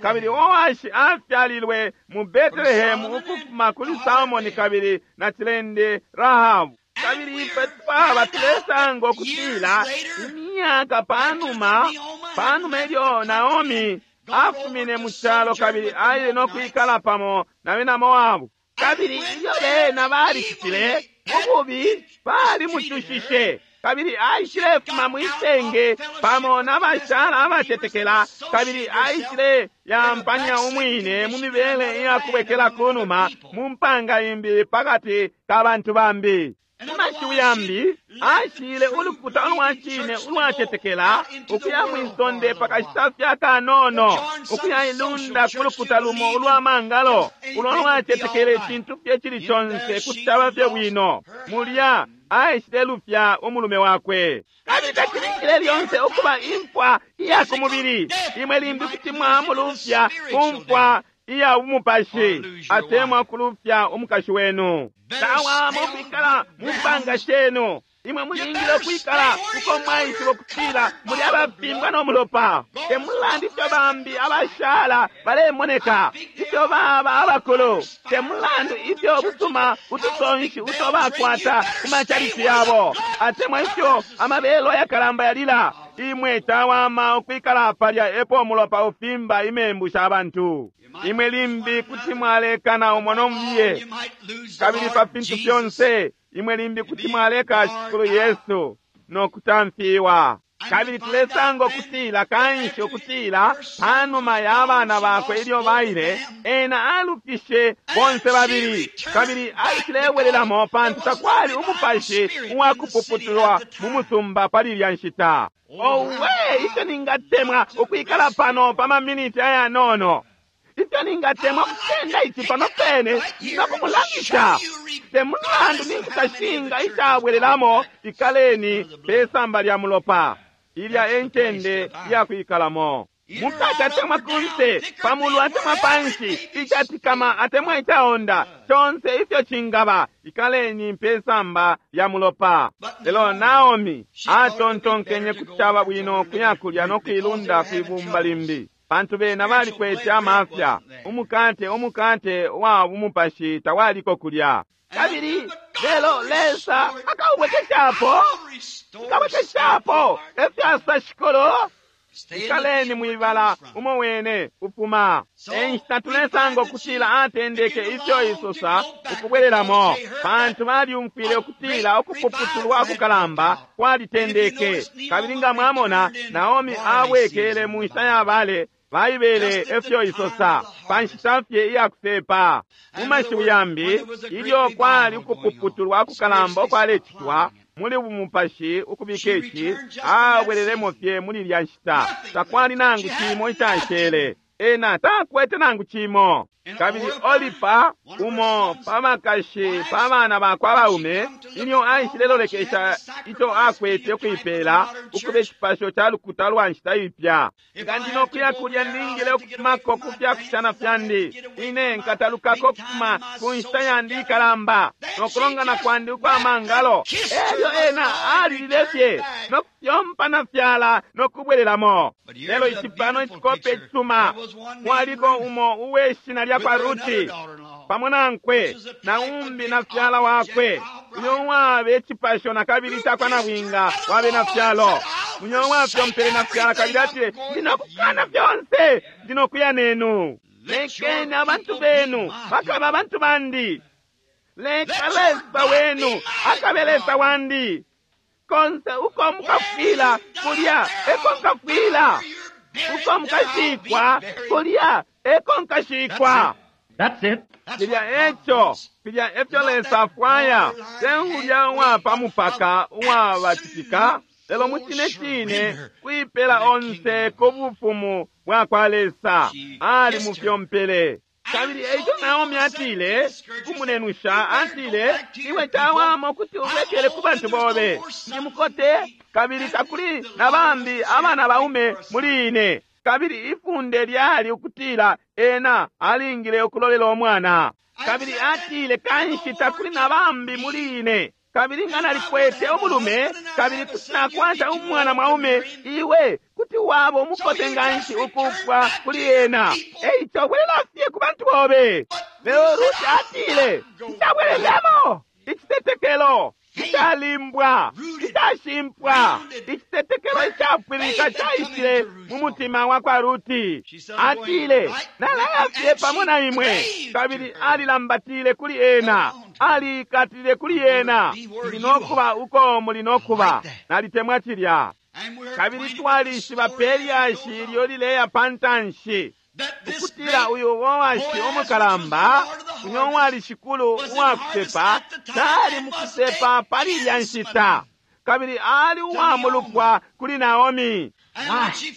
Kabili Boashi afyalilwe mu Betelehemu ukufuma kuli Salmoni kabili na cilende Rahabu. Kabili ifwe twaba tulesanga ukutila imyaka panuma, panuma ilyo Naomi afumine mu calo kabili aile no kwikala pamo na bena Moabu. Kabili ilyo bena balicitile ububi, balimucushishe, kabili aishilefuma mwisenge pamo na bashala abatetekela, kabili aishile yampanya umwine mu mibele iyakubwekela kunuma mu mpanga imbi pakati ka bantu bambi. Mu mashiwi yambi, ashile ulukuta ulwa cine ulwacetekela ukuya mwisonde pakashita fye akanono, ukuya ilunda ku lukuta lumo ulwa mangalo ulo lwacetekela icintu fye cili conse kuti caba fye bwino. Mulya aishile lufya umulume wakwe. Kabili tacilingile lyonse ukuba imfwa iya ku mubili. Imwe limbi kuti mwamulufya ku mfwa iya umupashi, atemwa kulufya umukashi wenu. Tawama ukwikala mu mpanga shenu. Imwe mulingile ukwikala uko mwaishiba ukutila muli abafimbwa no mulopa. Te mulandu ifyo bambi abashala balemoneka, ifyo baba abakulu, te mulandu ifyo busuma utusonshi uto bakwata ku macalici yabo, atemwa ifyo amabelo ayakalamba yalila. Imwe tawama ukwikala palya epo umulopa ufimba imembu sha bantu. Imwe limbi kuti mwalekana umo no mubiye, kabili pa fintu fyonse imwe limbi kuti mwaleka Shikulu Yesu no kutamfiwa. Kabili tulesanga ukutila kanshi ukutila panuma ya bana bakwe ilyo baile, ena alufishe bonse babili, kabili aishilebwelelamo pantu takwali umupashi uwakupuputulwa mu musumba pali ilya nshita. Owe, ifyo ningatemwa ukwikala pano pa maminiti ayanono! Ifyo ningatemwa kusenda ici pano pene nokumulangisha! Te mulandu ninkutashinga icabwelelamo, ikaleni pe samba lya mulopa. Ilya e ncende iyakwikalamo. Mukati atemwa kunse, pamulu atemwa panshi, icatikama atemwa icaonda, conse ifyo cingaba, ikaleni pe samba lya mulopa. Lelo Naomi atontonkenye kuti caba bwino kuya kulya no kuilunda kwibumba limbi, pantu bena balikwete amafya. Umukate umukate wa bumupashi tawaliko kulya. Kabili lelo Lesa akaubwekeshapo, akabwekeshapo efyasa shikolo. Ikaleni mwibala umo wene ufuma. Enshita tulesanga ukutila atendeke ifyo isosa ukubwelelamo, pantu balyumfwile ukutila ukupuputulwa kukalamba kwalitendeke. Kabili nga mwamona, Naomi abwekele mu nshita ya bale, Baibele efyo isosa pa nshita fye iyakusepa. Mu mashiwi yambi, ilyo kwali ukupuputulwa kukalamba ukwalecitwa muli bumupashi ukubika ici, abwelelemo fye muli ilya nshita. Takwali nangu cimo icashele. Ena takwete nangu cimo. Kabili Olipa, umo pa bakashi pa bana bakwe abaume, ilyo aishilelolekesha ico akwete ukuipela ukuba icipasho ca lukuta lwa nshita ipya. Nga ndi nokuya kulya, ningile ukufumako ku fyakushana fyandi. Ine nkatalukako ukufuma ku nshita yandi ikalamba no kulongana kwandi ukwa mangalo. Elyo ena alilile fye no kufyompa na fyala no kubwelelamo. Lelo ici pano icikope icisuma. Kwaliko umo uwe shina lya kwa Ruti pamo nankwe na umbi na fyala wakwe, uyo uwabe icipasho na kabili cakwa nabwinga wa bena fyalo. Uyo uwafyompele na fyala kabili atile, ndi nokukana fyonse, ndi nokuya nenu. Lekeni abantu benu bakabe abantu bandi, leka Lesa wenu akabe Lesa wandi. Konse uko mukafwila, kulya eko nkafwila; uko mukashikwa, kulya eko nkashikwa. That's it. Filya eco, filya efyo Lesa afwaya, te ulya uwapa mupaka uwabacitika, lelo mu cine cine kuipela onse ku bufumu bwa kwa Lesa. Ali mufyompele. Kabili eico Naomi atile kumunenusha, atile, iwe cawama ukuti ubwekele ku bantu bobe. Ndi mukote, kabili takuli na bambi abana baume muli ine. Kabili ifunde lyali ukutila ena alingile ukulolela umwana. Kabili atile, kanshi takuli na bambi muli ine. Kabili nga nalikwete umulume, kabili kuti nakwata umwana mwaume, iwe kuti waba umukote nganshi ukufwa kuli ena. Eico bwelela fye ku bantu bobe. Lelo Ruti atile, nshabwelelemo. Icitetekelo icalimbwa, icashimpwa, icitetekelo icapwililika caishile mu mutima wa kwa Ruti. Atile, nalaya fye pamo na imwe. Kabili alilambatile kuli ena, aliikatile kuli ena. Ndi nokuba uko muli nokuba. Nalitemwa cilya. Kabili twalishiba pe lyashi ilyo lileya pa ntanshi, ukutila uyu Boashi umukalamba, uyo uwali shikulu uwakusepa, tali mukusepa pali ilya nshita, kabili ali uwamulupwa kuli Naomi.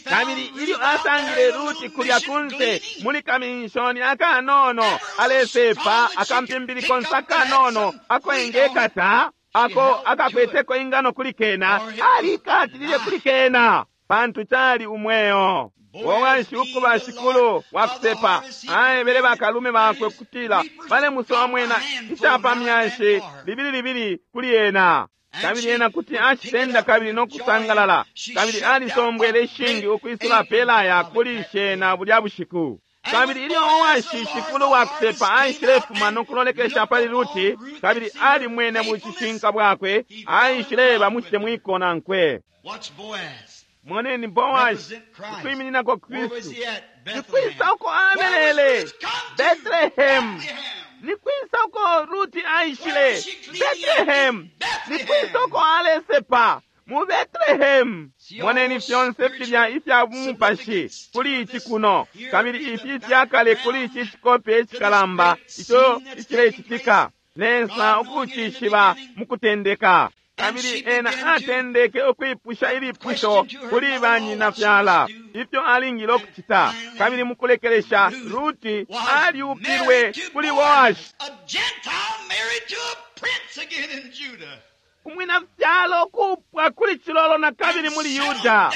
Kabili ilyo asangile Ruti kulya kunse muli kaminshoni akanono alesepa akampimbili konse akanono ako engekata, ako akakweteko ingano kuli kena, alikatilile kuli kena, pantu cali umweo. Boashi ukuba shikulu wakusepa, aebele bakalume bakwe kutila balemusomwena icapamyashi libili libili kuli ena. Kabili ena kuti acitenda kabili nokusangalala, kabili alisombwele ishingi ukwisula pelaya kuli shena bulya bushiku. Kabili ilyo Boashi shikulu wakusepa aishilefuma nokulolekesha pali Ruti, kabili alimwene bucishinka bwakwe, aishileba mucitemwiko nankwe. Moneni Boashi ukwimininako Kristu. Nikwisa uko abelele? Bethlehem. Nikwisa uko Ruti aishile? Bethlehem. Nikwisa uko alesepa? Mu Betlehemu. Moneni fyonse filya ifya bumupashi kuli ici kuno, kabili ifi ifyakale kuli ici cikope icikalamba ico icilecitika. Lesa ukucishiba mukutendeka. Kabili ena atendeke ukwipusha ilipusho kuli banyina fyala ifyo alingile ukucita. Kabili mukulekelesha Ruti alyupilwe kuli Boashi, umwina fyalo kupwa kuli cilolo na kabili muli Yuda,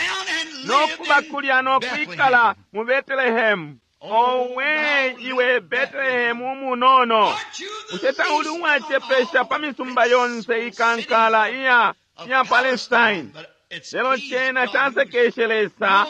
no kuba kulya no kwikala mu Betelehemu. Owe iwe Betelehemu umunono, bushe tauli uwacepesha pa misumba yonse ikankala iya Palestine? Lelo cena casekeshe Lesa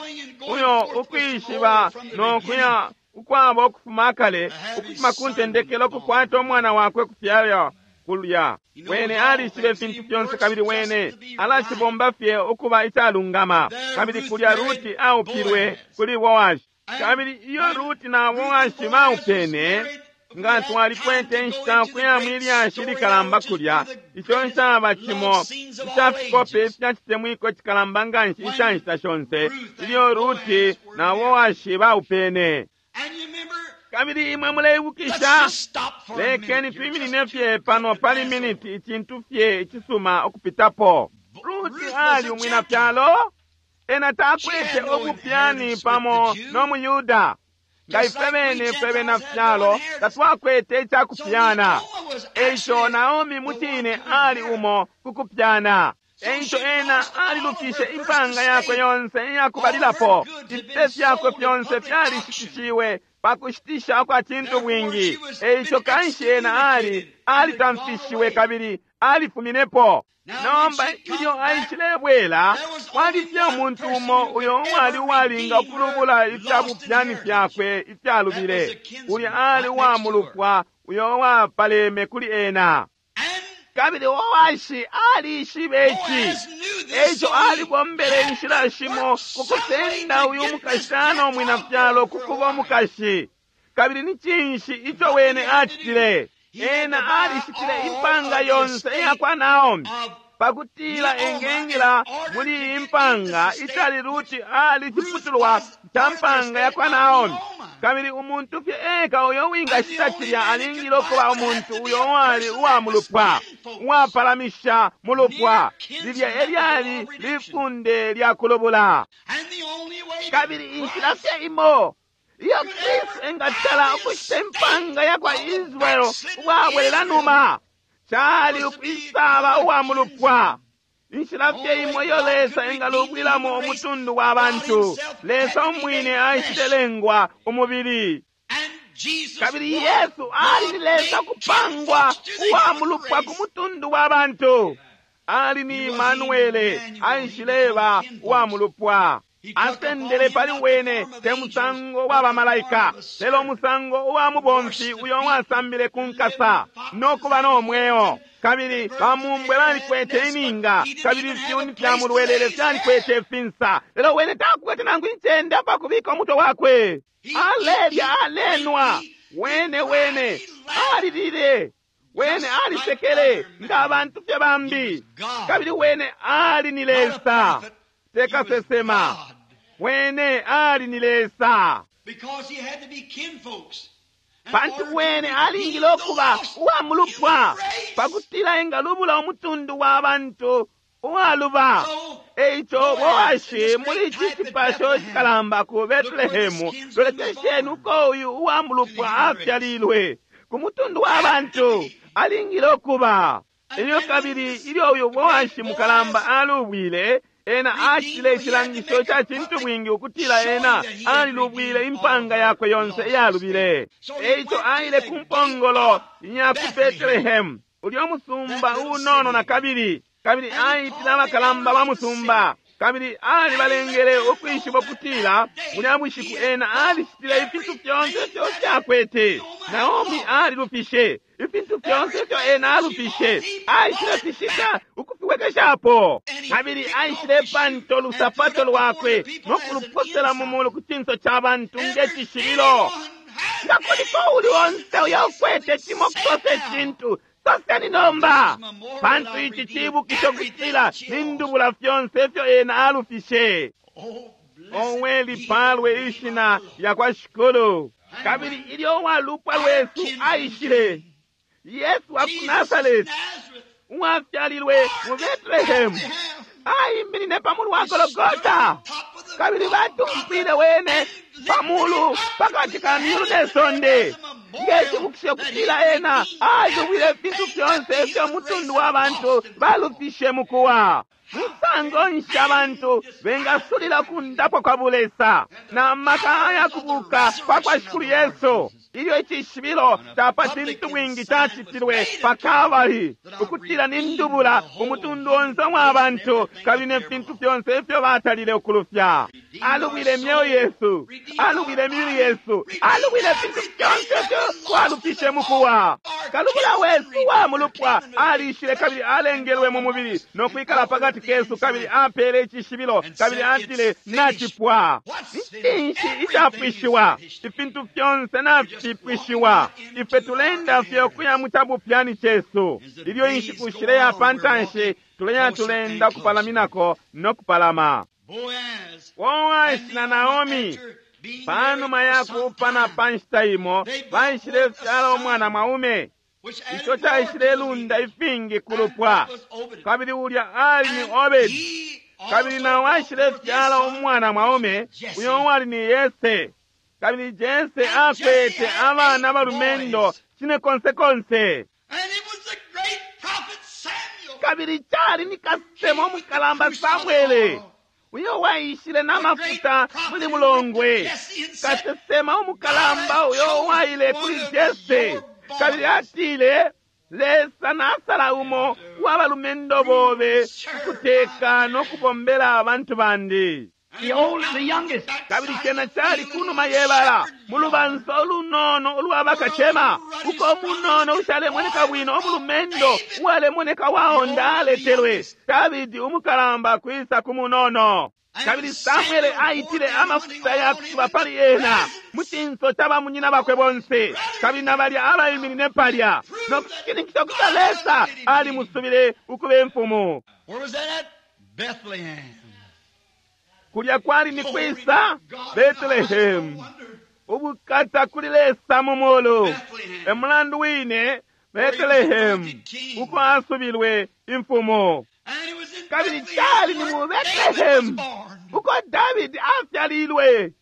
uyo ukwishiba no kuya ukwaba ukufuma kale, ukufuma ku ntendekelo kukwata umwana wakwe kufyalwa kulya. Wene alishibe ifintu fyonse, kabili wene alacibomba fye ukuba icalungama. Kabili kulya Ruti aupilwe kuli Boashi. Kabili iyo Ruti na Boashi baupene, nga twalikwete inshita kuya mwilyashi likalamba kulya, ico ncaba cimo ica fikope ifya citemwiko cikalamba nganshi ica nshita shonse, ilyo Ruti na Boashi baupene. Kabili imwe muleibukisha, lekeni twiminine fye pano pali miniti, icintu fye icisuma ukupitapo. Ruti ali umwina fyalo, ena takwete ubupyani pamo no muYuda. Nga ifwe bene fwe bena fyalo tatwakwete icakupyana. Eico Naomi mucine ali umo kukupyana. Eico ena alilufishe impanga yakwe yonse iyakubalilapo. Ifipe fyakwe fyonse fyalishitishiwe pakushitisha kwa cintu bwingi. Eico kanshi ena alitamfishiwe kabili alifuminepo. Nomba ilyo aishilebwela, kwali fye umuntu umo uyo uwali uwalinga ukulubula ifya bupyani fyakwe ifyalubile. Ulya ali uwamulupwa uyo uwapaleme kuli ena. Kabili Boashi alishibe ici. Eico alibombele inshila shimo kukusenda uyu mukashana umwina fyalo kukuba umukashi. Kabili ni cinshi ico wene acitile? Ena alishitile impanga yonse iyakwa Naomi pakutila engengila muli impanga icali Ruti ali ciputulwa ca mpanga yakwa Naomi. Kabili umuntu fye eka uyo wingashita cilya alingile ukuba umuntu uyo uwali uwamulupwa, uwapalamisha mulupwa. Lilya elyali lifunde lya kulubula. Kabili inshila fye imo iyo Kristu engatala ukushita impanga yakwa Israeli uwabwelela numa, cali ukwisaba uwa mulupwa. Inshila fye imo iyo Lesa engalubwilamo umutundu wa bantu, Lesa umwine aishilelengwa umubili. Kabili Yesu ali ni Lesa kupangwa uwa mulupwa ku mutundu wa bantu. Ali ni Emanuele, aishileba uwa mulupwa. Asendele pali wene te musango wa bamalaika, lelo musango uwa mubomfi uyo wasambile ku nkasa no kuba no mweo. Kabili bamumbwe balikwete ininga, kabili ifyuni fya mulwelele fyalikwete ifinsa, lelo wene takwete nangu incende apakubika umutwe wakwe. Alelya, alenwa, wene wene alilile, wene alisekele nga abantu fye bambi. Kabili wene ali ni Lesa, tekasesema. Wene ali ni Lesa, pantu wene alingile ukuba uwa mulupwa pakutila engalubula umutundu wa bantu uwaluba. Eico Boashi muli ici cipasho cikalamba ku Betelehemu, lolekesheni uko uyu uwa mulupwa afyalilwe ku mutundu wa bantu alingile ukuba. Ilyo kabili ilyo uyu Boashi mukalamba alubwile, ena acitile icilangisho ca cintu bwingi ukutila ena alilubwile impanga yakwe yonse iyalubile. Eico aile ku mpongolo ya ku Betelehemu, ulyo musumba unono na kabili, kabili aitile abakalamba ba musumba, kabili alibalengele ukwishiba ukutila mulya bushiku ena alicitile ifintu fyonse ifyo fyakwete. Naomi alilufishe ifintu fyonse ifyo ena alufishe, aishile fishita ukufiwekeshapo. Kabili aishile panto lusapato lwakwe no kuluposela mu mulu ku cinso ca bantu nge cishibilo. Nga kuliko uli onse uyo ukwete cimo kusose cintu, Soseni nomba, pantu ici cibukisho kutila nindubula fyonse ifyo ena alufishe. Owe, lipalwe ishina lya kwa Shikulu. Kabili ilyo uwalupwa lwesu aishile, Yesu wa ku Nasareti, uwafyalilwe mu Betlehemu, aiminine pa mulu wa Gologota, kabili batumpwile wene pa mulu pakati ka myulu ne sonde, ngecibukisho kutila ena alubwile ifintu fyonse ifyo mutundu wa bantu balufishe mukuwa. Musango nshi abantu bengasulila kundapwa kwa bulesa na maka ayakubuka kwa kwa Shikulu Yesu, ilyo icishibilo ca pa cintu bwingi cacitilwe pa Kalvari, ukutila nindubula umutundu onse wa bantu kabili ne fintu fyonse ifyo batalile ukulufya. Alubwile imyeo yesu, alubwile imibili yesu, alubwile ifintu fyonse ifyo twalufishe mukuwa. Kalubula wesu wa mulupwa alishile kabili alengelwe mu mubili no kwikala pakati kesu, kabili apele icishibilo kabili atile nacipwa. Cinshi icapwishiwa? Ifintu fyonse nafipwishiwa. Ife tulenda fye ukuya mu cabupyani cesu. Ilyo inshiku shileya pantanshi, tuleya tulenda kupalaminako no kupalama. Boasi na Naomi panuma yakuupana pa nshita imo baishile fyala umwana mwaume. Ico caishile lunda ifingi kulupwa, kabili ulya ali ni Obedi, kabili nao aishile fyala umwana mwaume uyo wali ni Yese, kabili Jese akwete abana balumendo cine konse konse. Kabili cali ni kasemo mukalamba Samwele uyo waishile n'amafuta muli mulongwe, kasesema umukalamba uyo waile kuli Jese, kabili atile, Lesa nasala umo w'abalumendo bobe ukuteka no kubombela abantu bandi. The old, the youngest. Kabili cena cali kunuma yebala mu lubansa olunono ulwabakacema, uko umunono ushalemoneka bwino omulumendo uwalemoneka waonda aletelwe. Davidi umukalamba kwisa ku munono. Kabili Samwele aitile amafuta yakusuba pali ena mu cinso ca bamunyina bakwe bonse, kabili na balya abaiminine palya no kushininkisha ukuti Lesa alimusubile ukuba imfumu. Where was that at? Bethlehem. Kulya kwali ni kwisa Betlehemu, ubukata kuli Lesa mu mulu. E mulandu wine Betlehemu uko asubilwe imfumu. Kabili cali ni mu Betlehemu uko Davidi afyalilwe,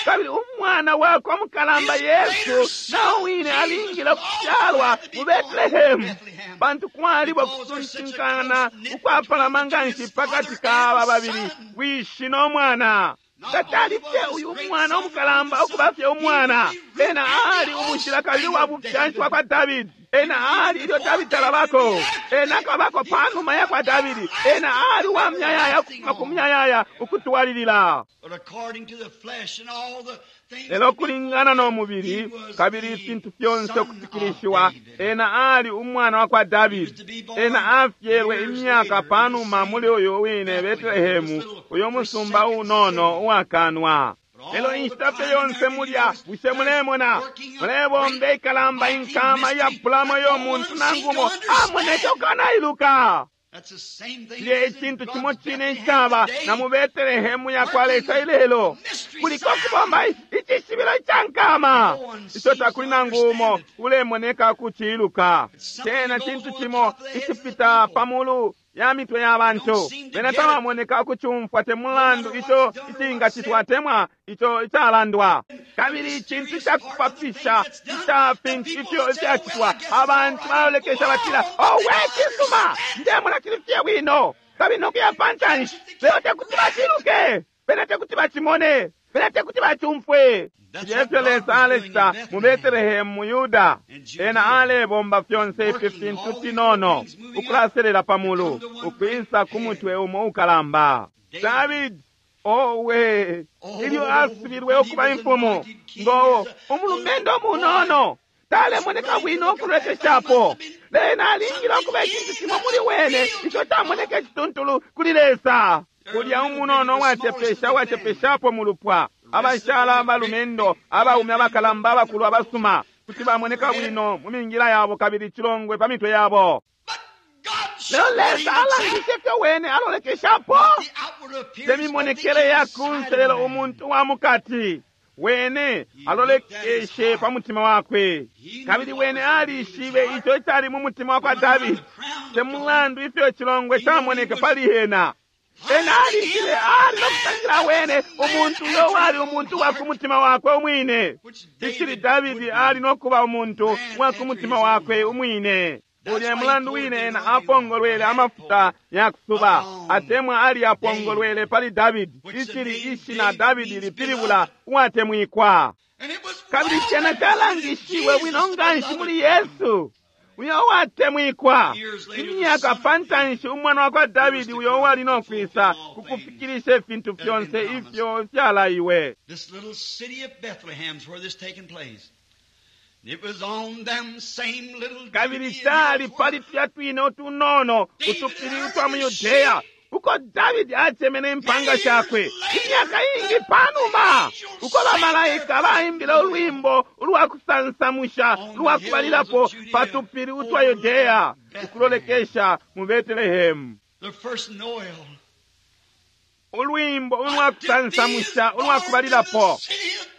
kabili umwana wakwe mukalamba Yesu nao wine alingile kufyalwa mu Betlehemu, pantu kwaliba kusuntinkana ukwapalama nganshi pakati ka aba babili, wishi no mwana. Tatali fye uyu mwana umukalamba ukuba fye umwana, ena ali umushila kabili wa bufyanshi bwa kwa Davidi. Ena ali ilyo Davidi talabako, ena akabako panuma ya kwa Davidi. Ena ali wa myayaya ukufuma ku myayaya ukutwalilila. Lelo kulingana no mubili kabili ifintu fyonse ukufikilishiwa, ena ali umwana wa kwa Davidi. Ena afyelwe imyaka panuma muli uyu wine Betlehemu, uyo musumba unono uwakanwa. Lelo inshita fye yonse mulya, bushe mulemona mulebomba ikalamba inkama iyapulamo yo muntu nangumo amoneke ukanailuka. Cilya icintu cimo cine icaba na mu Betelehemu ya kwa Lesa ilelo, kuliko kubomba icishibilo ica nkama ico takuli nangu umo ulemoneka kuciluka. Cena cintu cimo icipita pa mulu ya mitwe ya bantu, bena tabamoneka ukucumfwa te mulandu ico icingacitwa temwa ico icalandwa. Kabili icintu cakupapisha ica fintu ifyo ifyacitwa, abantu balolekesha batila, owe cisuma, ndemona cili fye bwino, kabili nokuya pantanshi. Lelo tekuti baciluke, bena tekuti bacimone, bena tekuti bacumfwe. Ifyo Lesa alecita mu Betelehemu mu Yuda, ena alebomba fyonse ifi fintu finono ukulaselela pa mulu ukwisa ku mutwe umo ukalamba. Davidi, owe, ilyo asubilwe ukuba imfumu, ngo umulumendo munono talemoneka bwino ukulekeshapo, lena alingile ukuba icintu cimo muli wene ico camoneka icituntulu kuli Lesa. Kulya umunono uwacepesha uwacepeshapo mu lupwa, abashala abalumendo abaume abakalamba abakulu abasuma. Kuti bamoneka bwino mu mingila yabo kabili icilongwe pa mitwe yabo. But God Lelo showed what he Lesa looks at, alangishe ifyo wene alolekeshapo. not the outward appearance, but the Temimonekele ya kunse inside lelo man. umuntu wa mukati. Wene alolekeshe pa mutima wakwe. Kabili wene alishibe ico icali mu mutima wa kwa Davidi. Te mulandu ifyo icilongwe camoneke pali ena. Ena alishibe ali no kusangila wene umuntu uyo wali umuntu wa ku mutima wakwe umwine. Icili Davidi ali no kuba umuntu wa ku mutima wakwe umwine. Ulya mulandu wine ena apongolwele amafuta ya kusuba atemwa ali apongolwele pali Davidi. Icili ishina Davidi lipilibula uwatemwikwa. And it was Kabili well cena calangishiwe bwino nganshi muli Yesu uyo uwatemwikwa. Imyaka pa ntanshi umwana wa kwa Davidi uyo uwali no kwisa ku kufikilisha ifintu fyonse ifyo fyalaiwe. This little city of Bethlehem's where this taken place. It was on them same little Kabili Judean cali hills pali tulya twine utunono utupili twa mu Yudeya uko Davidi acemene impanga shakwe imyaka ingi panuma uko bamalaika baimbile ulwimbo ulwa kusansamusha ulwa kubalilapo pa tupili utwa Yudeya ukulolekesha mu Betelehemu. The first Noel. Ulwimbo ulwa kusansamusha ulwa kubalilapo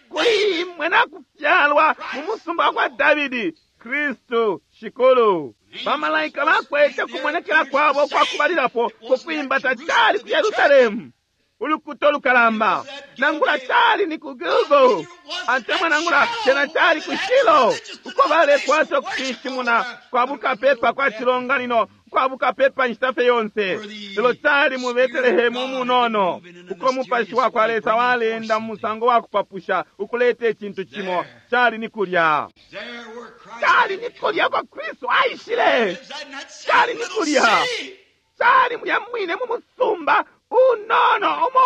kuli imwe nakufyalwa mu musumba wa kwa Davidi Kristu shikulu. Bamalaika bakwete kumonekela kwabo kwa kubalilapo kukwimba tacali ku Yerusalemu ulukuto lukalamba nangula cali ni ku Gilgo atemwa nangula cena cali ku Shilo uko balekwata ukushishimuna kwa bukapepa kwa cilonganino kwa bukapepa inshita fye yonse. Lelo cali mu Betelehemu umunono uko mupashi wa kwa Lesa walenda mu musango wa kupapusha ukuleta icintu cimo cali ni kulya. There where Christ Cali ni kulya kwa Kristu aishile. lives in that same Cali ni little kulya. city. Cali mulya mwine mu musumba unono umo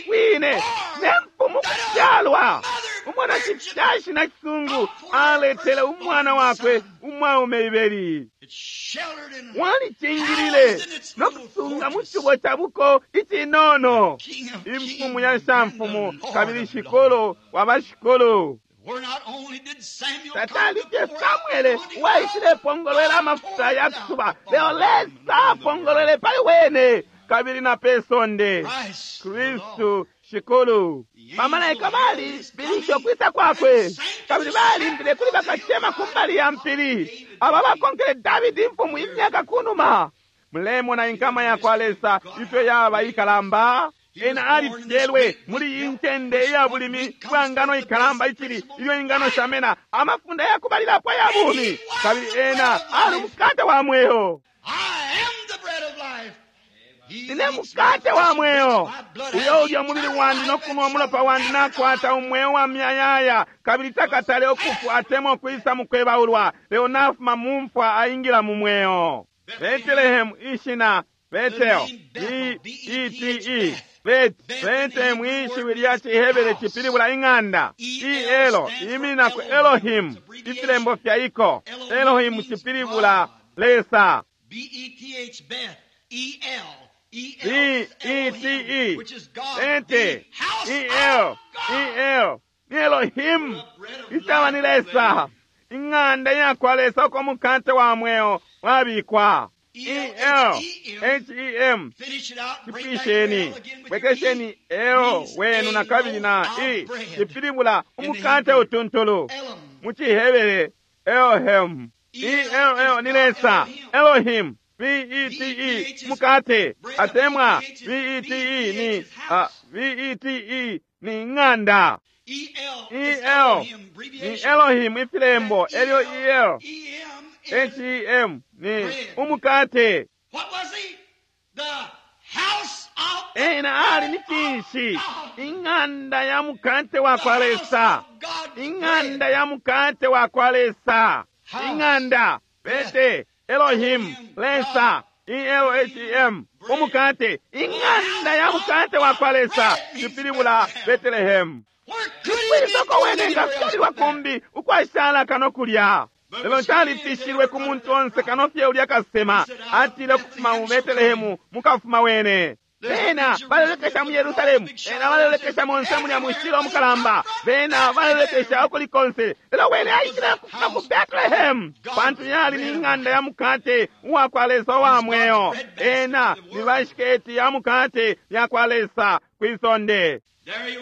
wine ne mfumu kufyalwa. Umwana cifyashi na cisungu aletele umwana wakwe umwaume ibeli. It sheltered and Walicingilile no kusunga mu cubo ca buko icinono. King of Imfumu kings ya and shamfumu the Lord kabili of shikolo wa bashikolo. Where not only did Samuel come Tatali to fye pour out Samuele anointing waishile pongolwela amafuta ya kusuba lelo Lesa apongolwele pali wene kabili na pe sonde. Christ, the Lord. Kristu shikulu. Bamalaika balibilishe ukwisa kwakwe kabili balimbile kuli bakacema kumbali ya mpili aba bakonkele Davidi imfumu imyaka kunuma. Mulemona inkama ya kwa Lesa ifyo yaba ikalamba. Ena alifyelwe muli iyi ncende iya bulimi bwa ngano ikalamba icili ilyo ingano shamena amafunda yakubalilapo ya bumi kabili ena ali umukate wa mweo. I am the bread of life. He Nine eats mukate my wa flesh and mweo. drinks my blood Uyo has ulya umubili eternal wandi life no and kunwa shall umulopa wandi never nakwata die. umweo wa myayaya kabili takatale ukufwa atemwa ukwisa mukwebaulwa lelo nafuma mu mfwa aingila mu mweo. Betelehemu ishina Betel B-E-T-E Bet Betelehemu ishiwi lya Cihebere cipilibula ing'anda E-L iminina ku Elohim ifilembo fya iko Elohim cipilibula Lesa B-E-T-H, Beth, E-L, E-L, B-E-T-E Elohim, which is God, Ente the house E-L of God. E-L ni Elohim icaba ni Lesa ing'anda yakwa Lesa uko mukate wa mweo wabikwa E-L H-E-M Finish it out. Break that cipwisheni L again with your bwekesheni E. L Means wenu a na kabili na loaf E of bread. cipilibula In the umukate Hebrew. utuntulu Elam. mu Cihebere Elohim E-L-L ni Lesa Elohim B-E-T-E mukate atemwa B-E-T-E ni B-E-T-E ni ng'anda E-L is E-L Elohim, ni abbreviation. Elohim ifilembo That elyo E-L, E-L E-M is H-E-M ni umukate. What was he? The house of Ena ali ni cinshi? Ing'anda ya mukate wa kwa Lesa. Ing'anda ya mukate wa kwa Lesa. Ing'anda bete Elohim Lesa E-L-H-E-M umukate. Ing'anda ya mukate wa kwa Lesa cipilibula Betelehemu. Where could he Kwisoko be wene anywhere else ngafyalilwa but there? kumbi ukwashala kano kulya. Lelo calipishilwe ku muntu onse kano fye ulya kasema atile ukufuma mu Betelehemu mukafuma wene. Bena balelekesha mu Yerusalemu, bena balelekesha monse mulya mushilo mukalamba, bena balelekesha ukuli konse. Lelo wene aishile kufuma ku Bethlehem, pantu yali ni ng'anda ya mukate uwa kwa Lesa uwa mweo. Ena ni bashiketi ya mukate ya kwa Lesa kwisonde.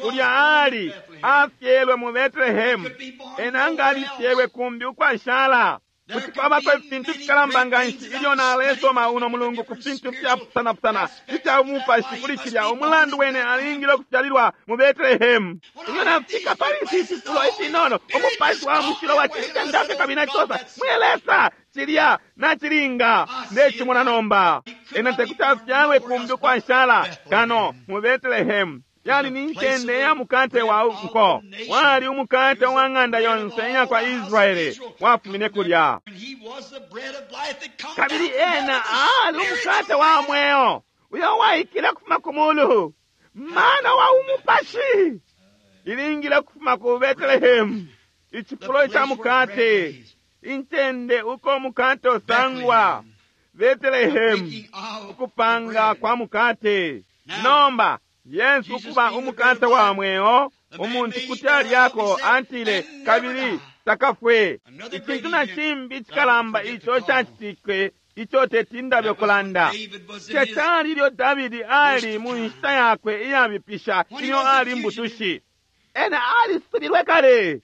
Kulya ali afyelwe mu Bethlehem, ena nga alifyelwe kumbi ukwashala. Kuti kwabako ifintu fikalamba nga nshi ilyo nalesoma uno mulungu ku fintu fyapusanapusana ifya umupashi kuli cilya umulandu wene alingile ukufyalilwa mu Bethlehem. Ilyo nafika pali ifi fifulo ifinono, umupashi wa mushilo wacilitendafye kabili nacisosa, mwe Lesa, cilya nacilinga ndecimona nomba. Ena tekuti afyalwe kumbi ukwashala kano mu Bethlehem. Yali ni ncende ya mukate wa nko, wali umukate wa ng'anda yonse iya kwa Israeli wafumine kulya. Kabili ena ali umukate wa mweo uyo waikile kufuma ku mulu, mana wa umupashi ilingile kufuma ku Bethlehem, icifulo ca mukate, incende uko umukate usangwa, Bethlehem, ukupanga kwa mukate. Nomba Yesu kuba umukate wa mweo, umuntu kuti alyako atile kabili takafwe. Icintu na cimbi icikalamba ico cacitike ico teti ndabe kulanda cecali ilyo Davidi ali mu nshita yakwe iyabipisha ilyo ali mbutushi. Ena alisubilwe kale,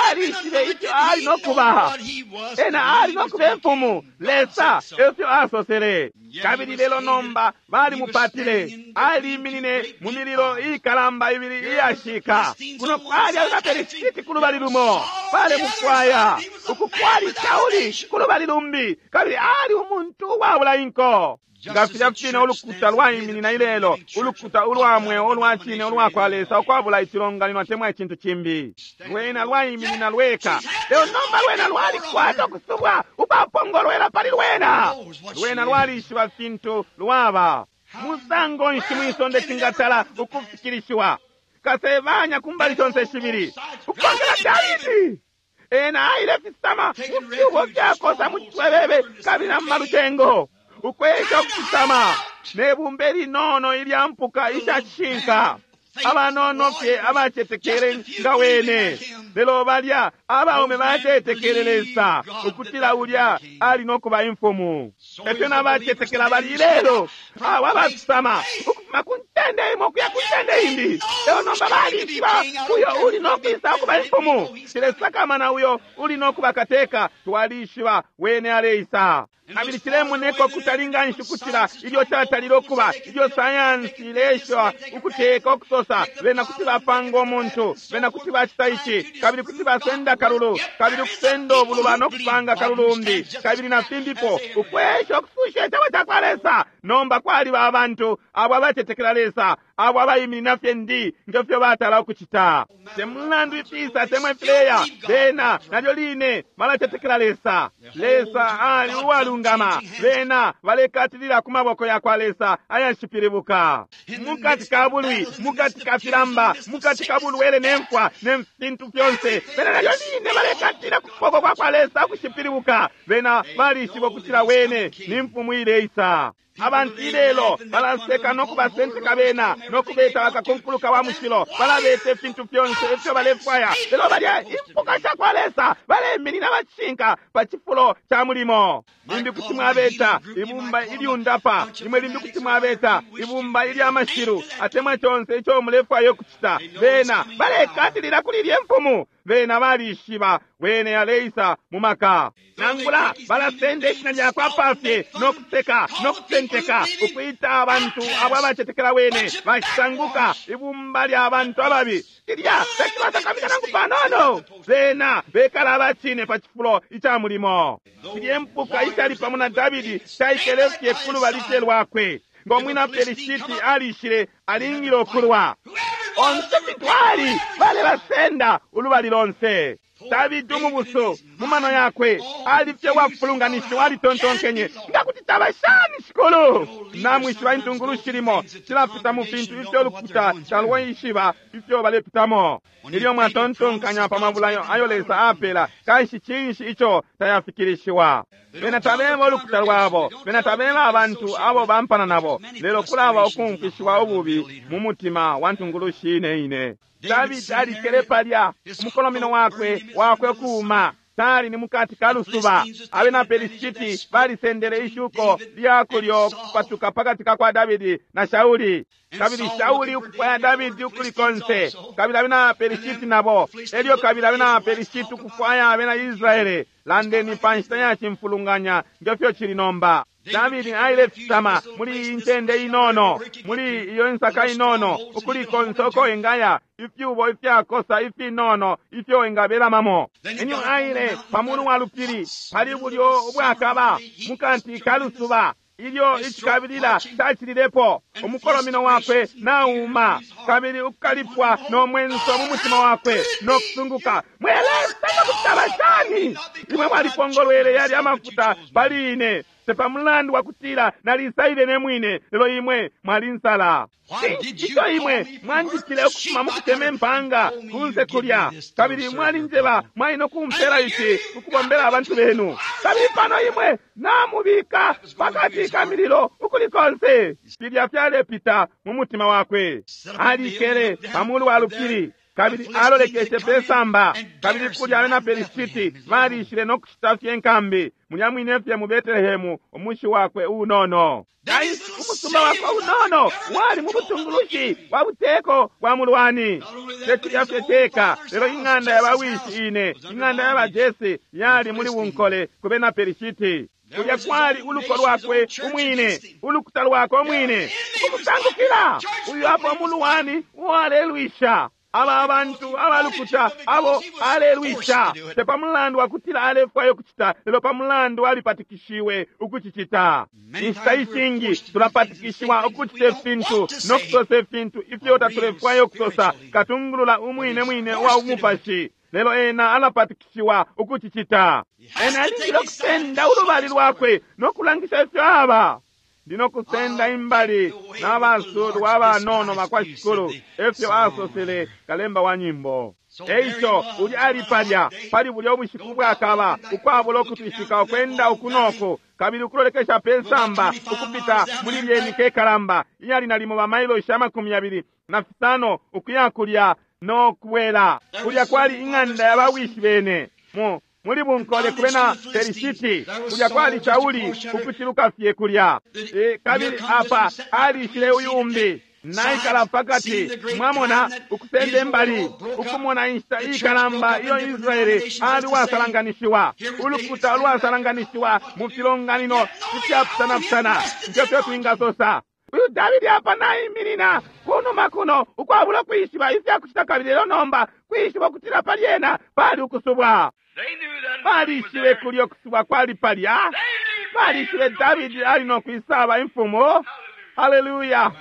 alishibe ico ali nokuba, ena ali nokuba imfumu. Lesa efyo asosele. Kabili lelo nomba balimupatile, aliminine mu mililo ikalamba ibili iyashika. Kuno kwali abapelisiti ku lubali lumo balemufwaya, uku kwali Shauli ku lubali lumbi, kabili ali umuntu uwabula inko. Nga filya fine ulukuta lwaiminina ilelo, ulukuta ulwa mweo ulwa cine ulwa kwa Lesa ukwabula icilonganino atemwa icintu cimbi. Lwena lwaiminina lweka, lelo nomba lwena lwalikwata ukusubwa ukwapongolwela pali lwena. Lwena lwalishiba fintu lwaba. Musango nshi mwisonde cingatala ukufikilishiwa? Kasebanya kumbali shonse shibili, ukukongela Davidi. Ena aile fisama mu fyubo fyakosa mu cwebebe kabili na mu malucengo, ukwesha ukufisama nebumba linono ilya mpuka ishacishinka, abanono fye abacetekele nga wene. Lelo balya abaume bacetekele Lesa ukutila ulya ali nokuba imfumu. Efyo nabacetekela bali ilelo, abo abafisama ukufuma ku ncende imo ukuya ku ncende imbi, lelo nomba balishiba uyo uli nokwisa ukuba imfumu. Cilesakamana uyo uli nokuba kateka, twalishiba wene aleisa. Kabili cilemoneka ukutali nshi ukutila ilyo catalile ukuba ilyo sayansi ilesha ukuteka ukusosa bena kuti bapanga umuntu, bena kuti bacita ici, kabili kuti basenda kalulu, kabili ukusenda ubuluba no kupanga kalulumbi, kabili na fimbipo, ukwesha ukususha icebo ca kwa Lesa. Nomba kwaliba abantu abo abacetekela Lesa, abo abaiminina fye ndi ngefyo batala ukucita. Te mulandu ifisa atemwa ifileya, bena nalyo line balacetekela Lesa. Lesa ali uwalungama, bena balekatilila ku maboko ya kwa Lesa ayashipilibuka. Mukati ka bulwi, mukati ka filamba, mukati ka bulwele ne mfwa ne fintu fyonse, bena nalyo line balekatilila ku kuboko kwa kwa Lesa ukushipilibuka. Bena balishiba ukutila wene ni mfumu ileisa. Abantu ilelo balaseka no kubasenteka bena no kubeta bakakunkuluka wa mushilo, balabeta ifintu fyonse ifyo balefwaya, lelo balya impuka sha kwa Lesa baleminina bacishinka pa cifulo ca mulimo. Limbi kuti mwabeta ibumba ilyundapa, imwe limbi kuti mwabeta ibumba ilya mashilu, atemwa conse ico mulefwaya ukucita, bena balekatilila kuli ilye mfumu. Bena balishiba wene aleisa mu maka. Nangula balasenda ishina lyakwe apafye no kuseka no kusenteka, ukwita abantu abo abacetekela wene bashisanguka ibumba lya bantu ababi. Cilya tacibasakamika nangu panono. Bena bekala abacine pa cifulo ica mulimo. Cilye mpuka icali pamo na Davidi caikele fye ku lubali fye lwakwe. Ngo mwina Pelishiti alishile alingile ukulwa. Onse fitwali balebasenda ulubali lonse. Davidi umubusu Mu mano yakwe ali fye wafulunganishiwa, alitontonkenye nga kuti taba shani Shikulu. Namwishiba intungulushi limo cilapita mu fintu ifyo lukuta talwaishiba ifyo balepitamo. Ilyo mwatontonkanya pa mabulayo ayo Lesa apela, kanshi cinshi ico tayafikilishiwa? Bena tabeba ulukuta lwabo, bena tabeba abantu abo bampana nabo, lelo kulaba ukumfishiwa ububi mu mutima wa ntungulushi ine ine. Davidi alikele palya, umukolomino wakwe wakwe kuuma tali ni mukati ka lusuba. Abena Pelishiti balisendele ishuko lya kulyo kupatuka pakati ka kwa Davidi na Shauli, kabili Shauli ukufwaya Davidi ukuli konse, kabili abena Pelishiti nabo elyo kabili abena Pelishiti ukufwaya abena Israele. Landeni pa nshita ya cimfulunganya ngefyo cili nomba. Davidi ailefisama muli iyi ncende inono, muli iyo insaka inono, ukuli konse uko engaya, ifyubo ifyakosa ifinono ifyo engabelamamo. Enyo aile pamulu wa lupili pali bulyo ubwakaba mukati ka lusuba, ilyo icikabilila cacililepo, umukolomino wakwe nauma, kabili ukukalipwa no mwenso mu mutima wakwe no kusunguka. Mwe Lesa, nga kuti taba shani? Imwe mwalipongolwele yali amafuta pali ine, te mulandu wa kutila nalisaile ne mwine, lelo imwe mwalinsala. Ico imwe mwanjitile ukufuma mu kutema impanga kunse kulya, kabili mwalinjeba mwali no kumpela ici ukubombela abantu benu, kabili pano imwe namubika pakati ka mililo ukuli konse. Filya fyalepita mu mutima wakwe. Alikele pamulu wa lupili, kabili alolekeshe pe samba, kabili kulya abena Pelishiti balishile no kushita fye nkambi mulya mwine fye mu Betelehemu, umushi wakwe unono. Umusumba wakwe unono wali mu butungulushi bwa buteko bwa mulwani. Tekulya fye ceka, lelo ing'anda ya bawishi ine, ing'anda ya bajese yali muli bunkole ku bena Pelishiti. Kulya kwali uluko lwakwe umwine, ulukuta lwakwe umwine ukusangukila uyu apo umulwani uwalelwisha aba abantu abalukuta abo alelwisha, te pa mulandu wakutila alefwaya ukucita, lelo pa mulandu alipatikishiwe ukucicita. Inshita ishingi tulapatikishiwa ukucita ifintu no kusosa ifintu ifyo tatulefwaya ukusosa. Katungulula umwine mwine uwa umupashi, lelo ena alapatikishiwa ukucicita. Ena alingile ukusenda ulubali lwakwe no kulangisha ifyo aba. Ndino kusenda imbali n'abasulwa abanono bakwa Shikulu, efyo asosele kalemba wa nyimbo. Eico uli ali palya pali bulya ubushiku bwakaba, ukwabula ukutwishika, ukwenda ukunoku kabili ukulolekesha pe samba ukupita muli lyeni kekalamba iyali nalimo bamailoshi 25 ukuya kulya no kubwela. Kulya kwali ing'anda ya bawishi bene muli bunkole kubena Pelishiti. Kulya kwali Shauli ukuciluka fye kulya. Kabili apa alishile uyu umbi naikala pakati, mwamona, ukusenda imbali, ukumona inshita ikalamba iyo Israeli ali wasalanganishiwa, ulukuta lwasalanganishiwa mu filonganino ifyapusanapusana ngefyo twingasosa. Uyu Davidi apa naiminina kunuma kuno ukwabula kwishiba ifyakucita, kabili lelo nomba kwishiba ukutila pali ena pali ukusubwa. Balishibe kulya ukusubwa kwali palya. Balishibe Davidi ali no kwisaba imfumu. Haleluya!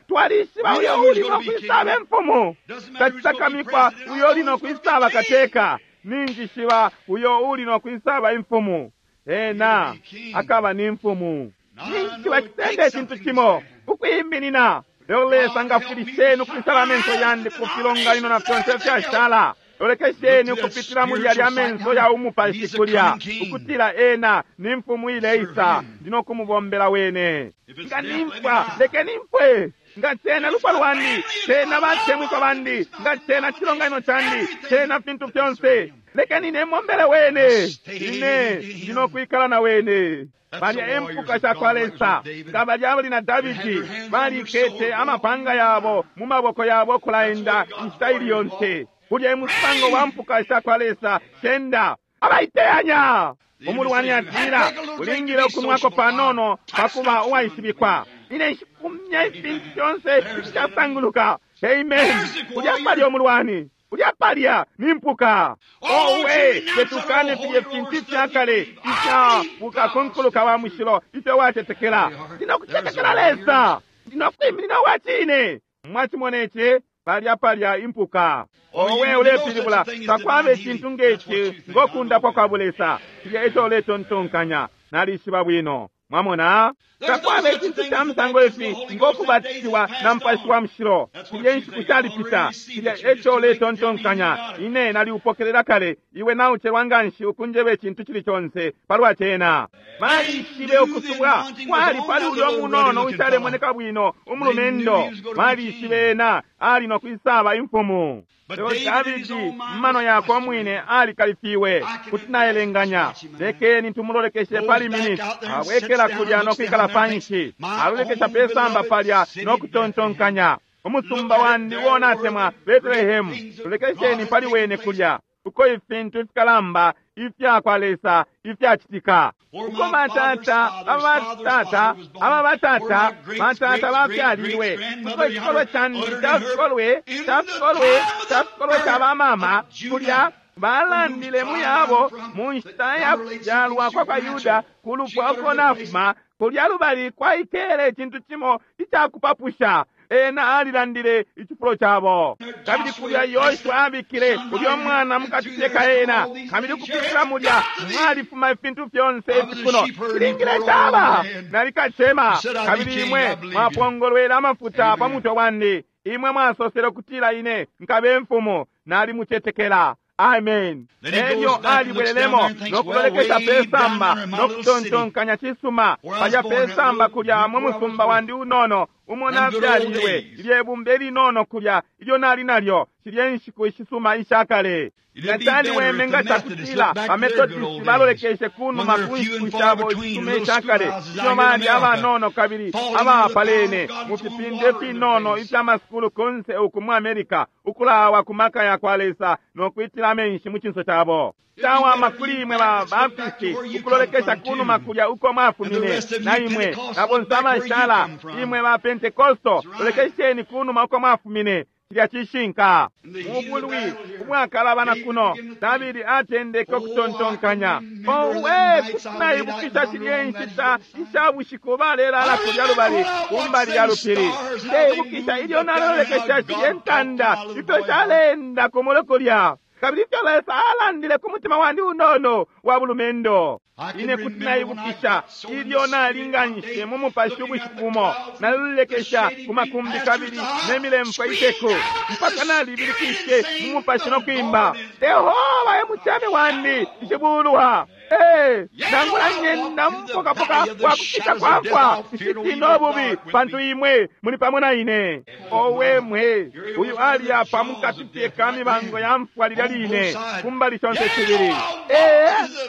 Twalishiba uyo uli no kwisaba imfumu. Tacisakamikwa uyo uli no kwisaba kateka. Ninjishiba uyo uli no kwisaba imfumu. Ena akaba ni mfumu. Ninjishiba cisenda icintu cimo ukwiminina. Lelo Lesa ngafwilisheni ukwisaba amenso yandi ku filonganino na fyonse fyashala. Lolekesheni ukupitila muli yalya amenso ya umupashi kulya, ukutila ena ni mfumu ileisa, ndino kumubombela wene. Nga nimfwa, lekeni mfwe. Nga cena lupwa lwandi, cena batemwikwa bandi, nga cena cilonganino candi, cena fintu fyonse, lekeni nemombele wene. Ine ndino kwikala na wene. Balya empuka shakwa Lesa nga balya abali na Davidi balikete amapanga yabo mu maboko yabo kulaenda inshita ili yonse. Kulya emusango wa mpuka shakwa Lesa shenda abaiteyanya. Umulwani atila ulingile ukunwako panono pakuba uwaishibikwa. Ine nshikumya ifintu fyonse ifishasanguluka. Amen. Kulya palya umulwani, kulya palya ni mpuka. Owe, tetukane filye fintu ifyakale ifya bukakunkuluka wa mushilo ifyo watetekela. Ndinokutetekela Lesa, ndinokwiminina uwa cine. Mwachimona ici? Palya palya impuka. Owe ulepilibula takwaba icintu ngeci ngokundapwa kwa bulesa. Cilya eco uletontonkanya. Nalishiba bwino. Mwamona? Takwaba icintu ca musango ifi ngokubatishiwa na Mupashi wa Mushilo. Cilya inshiku shalipita. Cilya eco uletontonkanya. Ine naliupokelela kale. Iwe naucelwa nganshi ukunjeba icintu cili conse palwa cena. Balishibe ukusubwa kwali pali ulyo munono ushalemoneka bwino umulumendo. Balishibe ena ali no kwisaba imfumu. Lelo Davidi mumano yakwe umwine alikalifiwe. Kuti naelenganya. Lekeni tumulolekeshe pali miniti. Abwekela kulya no kwikala panshi. Alolekesha pesamba palya no kutontonkanya. Umusumba wandi wona atemwa Betlehemu. Lolekesheni pali wene kulya. Uko ifintu ifikalamba ifya kwa Lesa ifyacitika. Uko batata abatata aba batata batata bafyalilwe. Uko ikikolwe candi cafikolwe cafikolwe cafikolwe ca bamama kulya balandile muyabo mu nshita ya kubyalwa kwa kwa Yuda ku lupwa uko nafuma kulya lubali kwaikele icintu cimo icakupapusha. Ena alilandile icifulo cabo. Kabili kulya Yoshua abikile ulyo mwana mukati ka ena. Kabili kupitila mulya mwalifuma ifintu fyonse ifikuno. Cilingile caba nalikacema. Kabili imwe mwapongolwela amafuta pa mutwe wandi. Imwe mwasosele ukutila ine nkabe mfumu. Nalimucetekela. Amen. Elyo alibwelelemo nokulolekesha pesamba nokutontonkanya cisuma palya pesamba kulya mu musumba wandi unono umo nafyalilwe ilye bumba ilinono kulya ilyo nali nalyo shilye nshiku ishisuma ishakale. Nga caliweme nga cakutila bametodisi balolekeshe kunuma ku nshiku shabo ishisuma ishakale ilyo bali abanono kabili abapalene mu fipinde finono ifyamasukulu kunse uku mu America ukulawa ku maka ya kwa Lesa nokwitila amenshi mu cinso cabo. Cawama kuli imwe ba Baptisti ukulolekesha kunuma kulya uko mwafumine na imwe na bonse abashala imwe ba Pentekosto lolekesheni kunuma uko mwafumine. Cilya cishinka. Mubulwi ubwakalabana kuno Davidi atendeke ukutontonkanya. Owe kuti naibukisha shilye nshita isha bushiku balelala kulya lubali kumbali ya lupili. Ndeibukisha ilyo nalolekesha shilye ntanda ifyo shalenda kumulu kulya. Kabili ifyo Lesa alandile ku mutima wandi unono wa bulumendo. Ine kuti naibukisha ilyo nalinganishe mu mupashi ubushiku bumo nalolekesha ku makumbi kabili ne milemfwe iteku mpaka nalibilikishe mu mupashi no kwimba Yehova e mucemi wandi nshibulwa. Nangula nyenda mupokapoka wa kupita kwafwa nshitina ububi pantu imwe muli pamo na ine. Owe mwe uyu ali apa mukati fye ka mibango ya mfwa lilya line kumbali shonse shibili.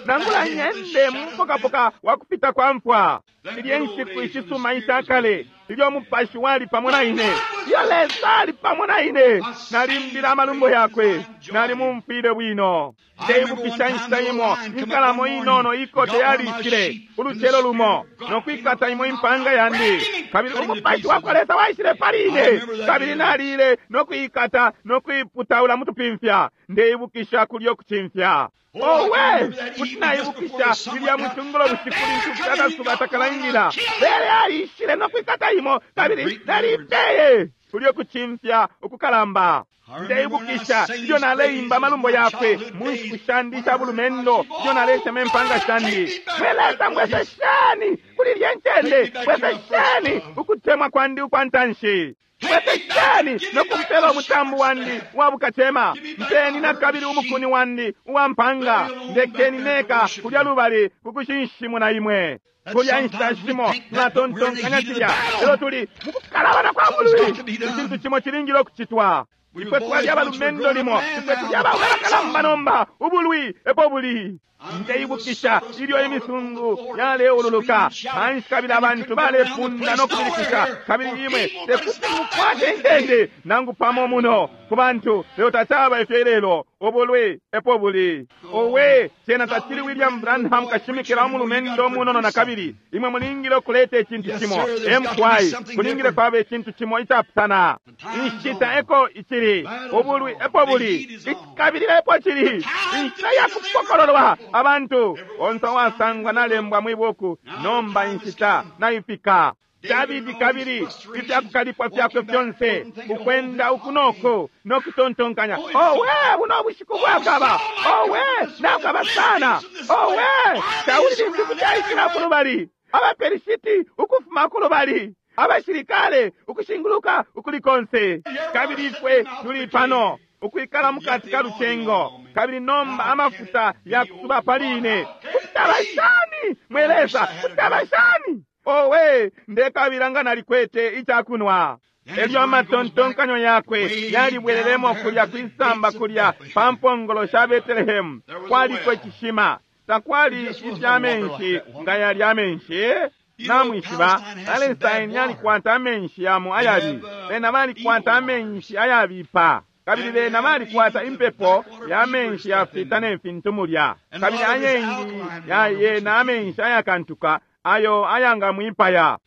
Nangula nyende mupokapoka wa kupita kwa mfwa ilye nshiku ishisuma ishakale ilyo mupashi wali pamo na ine. Ilyo Lesa ali pamo na ine nalimbila amalumbo yakwe nalimumfwile bwino. Ndeibukisha inshita imo inkalamo inono ikote yalishile ulucelo lumo nokwikata imo impanga yandi kabili umupashi wakwa Lesa waishile pali ine kabili nalile nokuikata nokuiputaula mutupimfya. Ndeibukisha kulyo kucimfya. Owe kuti naibukisha lilya mucungulo bushiku lintu akasuba takalaingila lele alishile nokwikata imo kabili nalipeye kulyo kucimfya ukukalamba. Ndeibukisha ilyo naleimba amalumbo yakwe mu nshiku shandi isha bulumendo ilyo nalesema impanga shandi. Mwe Lesa mbwesesheni kuli ilye ncende, mbwesesheni ukutemwa kwandi ukwa ntanshi. Mbwesesheni nokumpela umutambu wandi wa bukacema. Mpeni na kabili umukuni wandi uwa mpanga. Ndekeni neka kulya lubali kukushinshimuna imwe. Kulya inshita shimo tunatontonkanya cilya lelo tuli mukukalabana kwa bulwi. Icintu cimo cilingile ukucitwa. Ifwe twali abalumendo limo, ifwe tuli abaume abakalamba nomba, ubulwi epo buli. Ndeibukisha ilyo imisungu yaleululuka panshi kabili abantu balepunda no kubilikisha kabili imwe tekuti mukwate intende nangu pamo muno ku bantu lelo tacaba ifyo ilelo ubulwi epo buli. Owe cena tacili William Branham kashimikila umulumendo munono na kabili imwe mulingile ukuleta icintu cimo mkwai kulingile kwaba icintu cimo icapusana. Inshita eko icili ubulwi epo buli kabili epo cili inshita ya kupokololwa abantu onse wasangwa nalembwa mwibuku nomba inshita naifika. Davidi kabili ifyakukalipwa fyakwe fyonse, ukwenda uku noko nokutontonkanya, owe, buno bushiku bwakaba, owe, nakaba sana, owe, Shauli limbi kuti aishila kulubali, abaPelishiti ukufuma kulubali, abashilikale ukushinguluka ukuli konse, kabili ifwe tuli pano ukwikala mukati ka lucengo, kabili nomba amafuta yakusuba pali ine. Kutaba shani mwe Lesa, kutaba shani? Owe, ndekabila nga nalikwete icakunwa. Elyo amatontonkanyo yakwe yalibwelelemo kulya kwisamba kulya pa mpongolo sha Betelehemu. Kwaliko icishima, takwali ifya menshi nga yali amenshi. Namwishiba, Palestine yalikwata amenshi yamo ayabi, bena balikwata amenshi ayabipa, kabili bena balikwata impepo ya menshi yafita ne fintu mulya, kabili ayengi yayena amenshi ayakantuka ayo ayangamwipaya.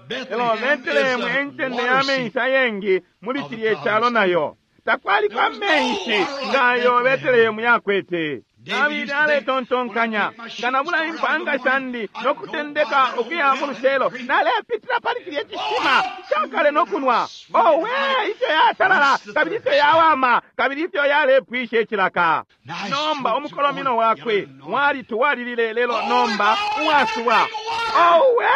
Lelo Betelehemu encende ya menshi ayengi muli cilye calo nayo takwaliko amenshi ngayo Betelehemu yakwete. Davidi aletontonkanya, nga nabula impanga shandi nokutendeka ukuya mu lucelo, nalepitila pali cilye cishima cakale nokunwa. Owe, ifyo yatalala, kabili ifyo yawama, kabili ifyo yalepwisha icilaka. Nomba umukolomino wakwe walituwalilile, lelo nomba uwasuba. Owe,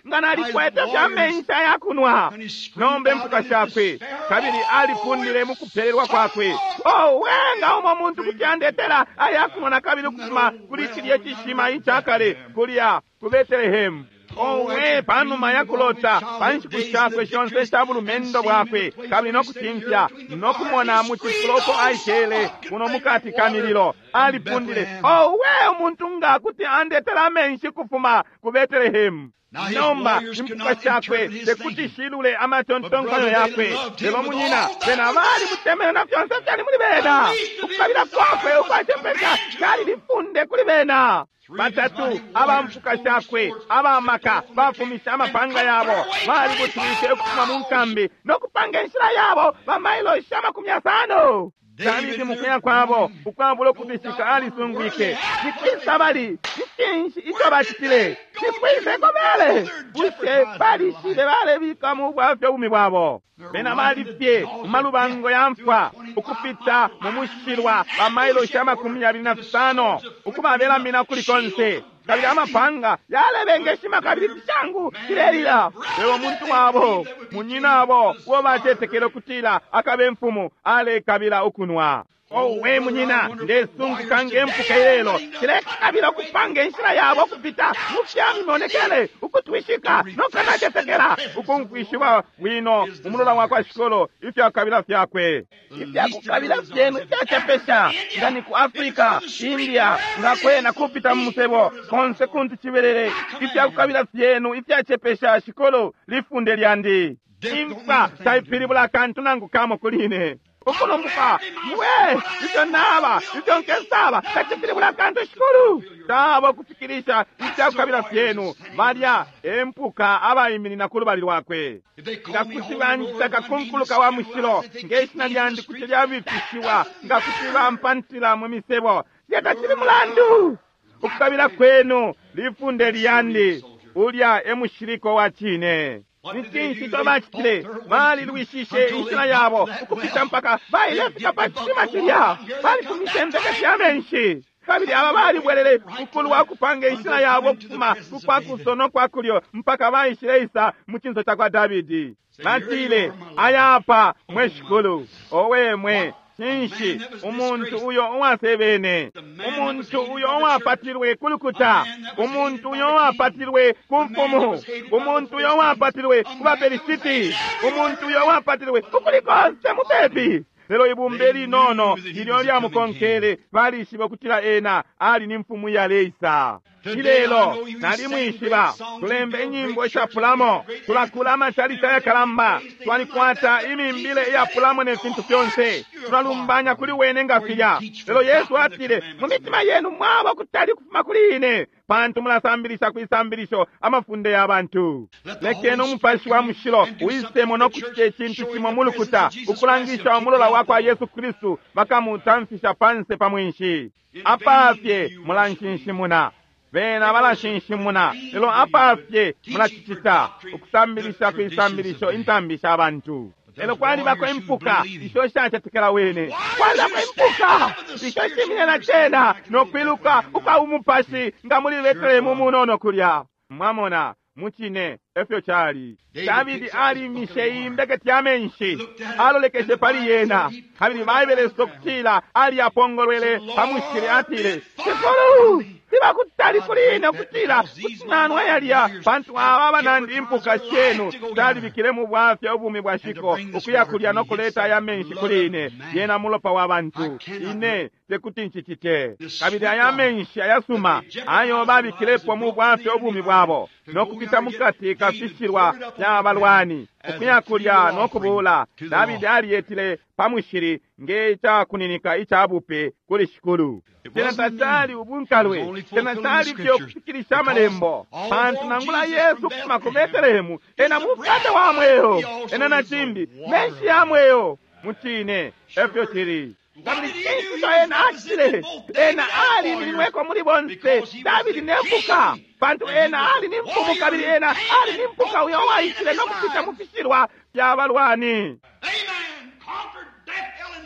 nga nalikwete fya menshi ayakunwa. Nomba impuka shakwe, kabili alipundile mukupelelwa kwakwe. Owe, nga umo muntu kuti andetela ayakunwa na kabili ukufuma kuli cilye cishima icakale kulya ku Betelehemu. Owe, panuma yakulota pa nshiku shakwe shonse sha bulumendo bwakwe, kabili nokucimfya nokumona mu cifulo uko aikele kuno mukati ka mililo, alipundile, owe, umuntu nga kuti andetela amenshi kufuma ku Betelehemu. Nomba impuka shakwe tekuti shilule amatontonkanyo yakwe, lelo munyina bena bali mutemene na fyonse fyali muli bena. Ukukabila kwakwe ukwacepesha cali lifunde kuli bena. Batatu abampuka shakwe abamaka bafumisha amapanga yabo, balibutwike ukufuma mu nkambi nokupanga inshila yabo bamailoshi 50. Davidi mukuya kwabo ukwabula ukubishika alisungwike, nikwisa bali? Ni cinshi ico bacitile? Nikwisa eko bele? Bushe balishile balebika mu bwafya ubumi bwabo? Bena balifye mu malubango ya mfwa ukupita mu mushilwa bamailoshi 25 ukubabelamina kuli konse, kabili amapanga yalebengeshima kabili fishangu filelila. Lelo umuntu wabo, munyinabo uo bacetekele ukutila akabe imfumu, alekabila ukunwa. Owe munyina, ndesunguka nge mpuka ilelo cilekabila ukupanga inshila yabo ukupita mu fya mimonekele, ukutwishika nokanacetekela, ukumfwishiwa bwino umulola wa kwa Shikolo ifyakukabila fyakwe. Ifyakukabila fyenu ifyacepesha, nga ni ku Afrika, India, nga kwena kupita mu musebo konse kuntu cibelele, ifyakukabila fyenu ifyacepesha, Shikolo, lifunde lyandi. Imfa taipilibula akantu nangu kamo kuli ine. Ukulumbuka mwe ifyo naba ifyo nkesaba tacipilibula akantu Shikulu. Taba ukufikilisha ifyakukabila fyenu. Balya empuka abaiminina ku lubali lwakwe. Nga kuti banjita kakunkuluka wa mushilo, nge shina lyandi kuti lyabifishiwa, nga kuti bampantila mu misebo, cilya tacili mulandu. Ukukabila kwenu lifunde lyandi. Ulya e mushiliko wa cine. Ni cinshi ico bacitile? Balilwishishe inshila yabo ukupita mpaka bailefika pa cishima cilya. Balifumishe impeke fya menshi, kabili aba balibwelele ukulwa ukupanga inshila yabo ukufuma kukwa kuso no kwa kulyo mpaka baishileisa mu cinso ca kwa Davidi. Batile, aya apa mwe Shikulu. Owe mwe, cinshi umuntu uyo uwasebene, umuntu uyo uwapatilwe ku lukuta, umuntu uyo uwapatilwe ku mfumu, umuntu uyo uwapatilwe ku bapelisiti, umuntu uyo uwapatilwe ukuli konse mupepi. Lelo ibumba linono ilyo lyamukonkele balishiba ukutila ena ali ni mfumu yaleisa. Ilelo nalimwishiba, tulemba inyimbo ishapulamo, tulakula amacalici ayakalamba, twalikwata imimbile iyapulamo ne fintu fyonse, tulalumbanya kuli wene nga filya. Lelo Yesu atile, mu mitima yenu mwaba kutali kufuma kuli ine, pantu mulasambilisha kwisambilisho amafunde ya bantu. Lekeni umupashi wa mushilo uisemo no kucita icintu cimo mu lukuta, ukulangisha umulola wa kwa Yesu Kristu, bakamutamfisha panse pa mwinshi. Apafye mulanshinshimuna. Bena balashinshimuna, lelo apafye mulacicita ukusambilisha kwisambilisho intambi sha bantu. Lelo kwalibako impuka isho shacetekela wene, kwalibako impuka isho shiminina cena nokwiluka ukwa umupashi nga muli Betelehemu munono kulya. Mwamona, mucine efyo cali. Davidi alimishe imbeketi ya menshi, alolekeshe pali yena, kabili Baibele sokutila aliyapongolwele pa mushili, atile, Shikulu, siba kutali kuli ine ukutila kuti nanwa yalya, pantu aba banandi impuka shenu talibikile mu bwafya ubumi bwa shiko ukuya kulya no kuleta aya menshi kuli ine. Yena mulopa wa bantu, ine tekuti ncicite. Kabili aya menshi ayasuma ayo babikilepo mu bwafya ubumi bwabo no kupita mukati kafishilwa fya balwani ukuya kulya no kubula, Davidi aliyetile pa mushili nge cakuninika ica bupe kuli Shikulu. Cena tacali ubunkalwe, cena cali fye ukufikilisha amalembo, pantu nangula Yesu ukufuma ku Betelehemu ena mukate wa mweo, ena na cimbi menshi ya mweo. Mucine efyo cili. Kabili cinshi ico ena acitile? Ena alimininweko muli bonse Davidi ne mpuka, pantu ena ali ni mfumu, kabili ena ali ni mpuka uyo waishile no kupita mu fishilwa fya balwani.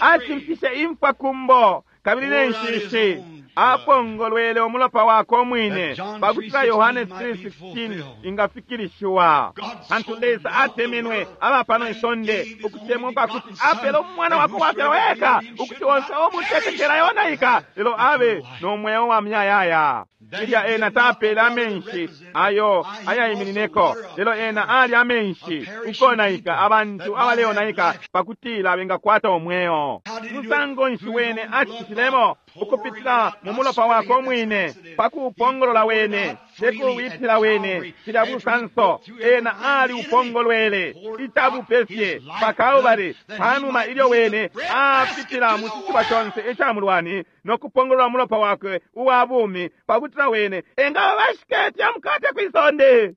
Acimfishe imfwa kumbo kabili ne nshishi, apongolwele umulopa wakwe umwine pakutila Yohane 3:16 ingafikilishiwa. Pantu Lesa atemenwe aba pano isonde ukutemwa kwakuti apele umwana wakwe wafyalwa eka, ukuti onse umutetekela yonaika, lelo abe no mweo wa muyayaya. Ilya ena tapele amenshi ayo ayaiminineko, lelo ena ali amenshi ukonaika abantu abaleonaika pakutila bengakwata umweo. Musango nshi wene acitilemo? Ukupitila mu mulopa wakwe umwine, pakuupongolola wene, tekuwitila wene cilya busanso. Ena ali upongolwele icabupe fye pa Kalbari, panuma ilyo wene apitila mu ciciba conse ica mulwani no kupongolola umulopa wakwe uwa bumi pakutila wene engaba bashiketi ya mukate kwisonde.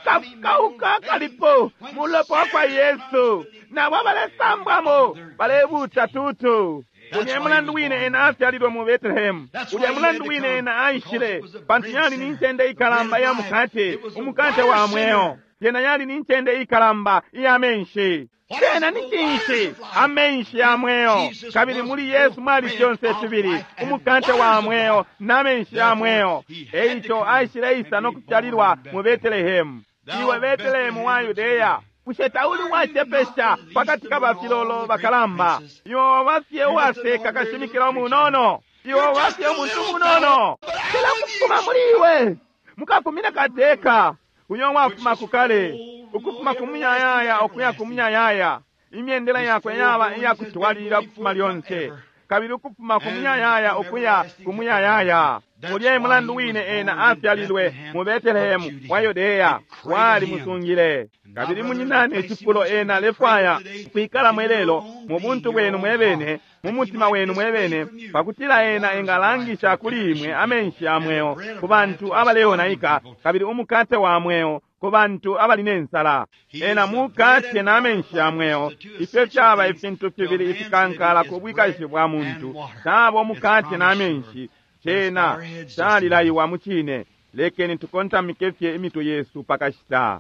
Kakauka kalipo mulopa wakwa Yesu, nabo abalesambwamo balebuta tutu. Ulya mulandu wine ena afyalilwe mu Betelehemu. Ulya mulandu wine ena aishile, pantu yali ni ncende ikalamba iya mukate, umukate wa mweo. Yena yali ni ncende ikalamba iya menshi. Cena ni cinshi? Amenshi ya mweo. Kabili muli Yesu mwali fyonse fibili, umukate wa mweo na menshi ya mweo. Eico aishile isa no kufyalilwa mu Betelehemu. Iwe Betelehemu wa Yudeya, bushe tauli wacepesha pakati ka bafilolo bakalamba? Iwe wabafye uwaseka kashimikila umunono, iwe wabafye umuntu umunono. Cila kufuma muli iwe mukafumina kateka uyo wafuma kukale, ukufuma ku muyayaya ukuya ku muyayaya. Imyendela yakwe yaba iyakutwalilila ukufuma lyonse, kabili ukufuma ku muyayaya ukuya ku muyayaya. Ulya mulandu wine ena afyalilwe mu Betelehemu wa Yudeya, wali musungile. Kabili munyinane icifulo ena alefwaya ukwikalamo ilelo mu buntu bwenu mwebene, mu mutima wenu mwebene, pakutila ena engalangisha kuli imwe amenshi ya mweo ku bantu abaleonaika, kabili umukate wa mweo ku bantu abali ne nsala. Ena mukate na amenshi ya mweo, ifyo fyaba ifintu fibili ifikankala ku bwikashi bwa muntu, caba umukate na amenshi. Cena calilayiwa mucine. Lekeni tukontamike fye imitwe yesu pakashita.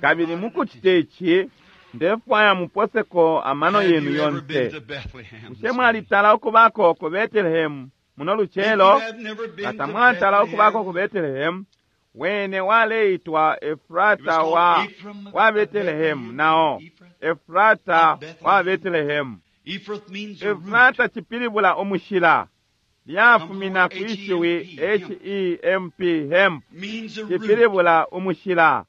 Kabili mukucita ici, ndefwaya muposeko amano yenu yonse. Bushe mwalitala ukubako ku Betelehemu muno lucelo? Nga tamwatala ukubako ku Betelehemu, wene waleitwa Efrata wa Betelehemu, nao Efrata wa Betelehemu. Efrata cipilibula umushila, lyafumina kwishiwi H-E-M-P, hemp, cipilibula umushila.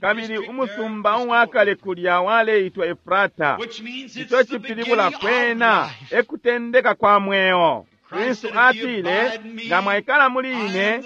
Kabili umusumba uwakale kulya waleitwa Efrata, ico cipilibula kwena ekutendeka kwa mweo. Kristu atile, nga mwaikala muli ine,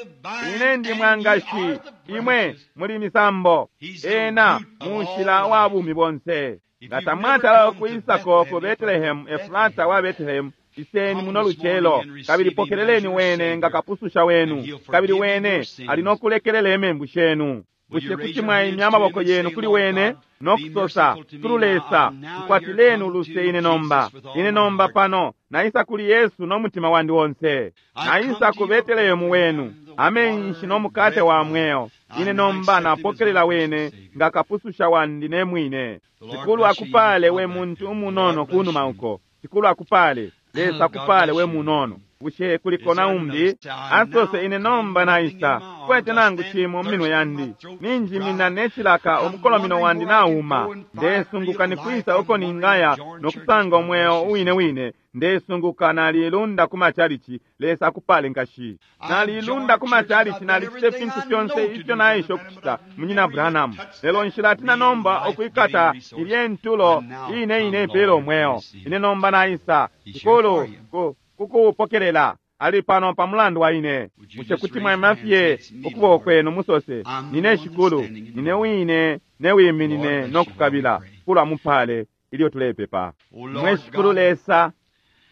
ine ndi mwangashi, imwe muli misambo. Ena mushila wa bumi bonse. Nga tamwatala ukwisako ku Betelehemu, Efrata wa Betelehemu, iseni muno lucelo, kabili pokeleleni wene nga kapususha wenu, kabili wene ali no kulekelela imembu shenu. Bushe kuti mwaimya amaboko yenu kuli wene No kusosa, Shikulu Lesa, nkwatileni uluse ine nomba. Ine nomba pano naisa kuli Yesu no mutima wandi onse. Naisa ku Betelehemu wenu, amenshi no mukate wa mweo. Ine nomba napokelela wene nga kapususha wandi ne mwine. Shikulu akupale we muntu umunono kunuma uko. Shikulu akupale, Lesa akupale we munono. Bushe kuliko na umbi? Asose ine nomba naisa, kwete nangu chimo minwe yandi. Ninjimina nechilaka omukolomino wandi nauma. Ndesunguka nikwisa uko ningaya nokusanga omweo uwine wine. Ndesunguka nalilunda ku machalichi, Lesa akupale nkashi. Nalilunda ku machalichi, nalicite fintu fyonse ifyo naisha okuchita munyina Branham. Lelo nshilatina nomba okwikata ilye ntulo ine ine ipela omweo. Ine nomba naisa, Shikulu kukupokelela ali pano pa mulandu wa ine. Bushe kuti mwaima fye ukuboko kwenu musose, nine Shikulu, nine wine newiminine nokukabila. Shikulu amupale ilyo tulepepa. Mwe Shikulu Lesa,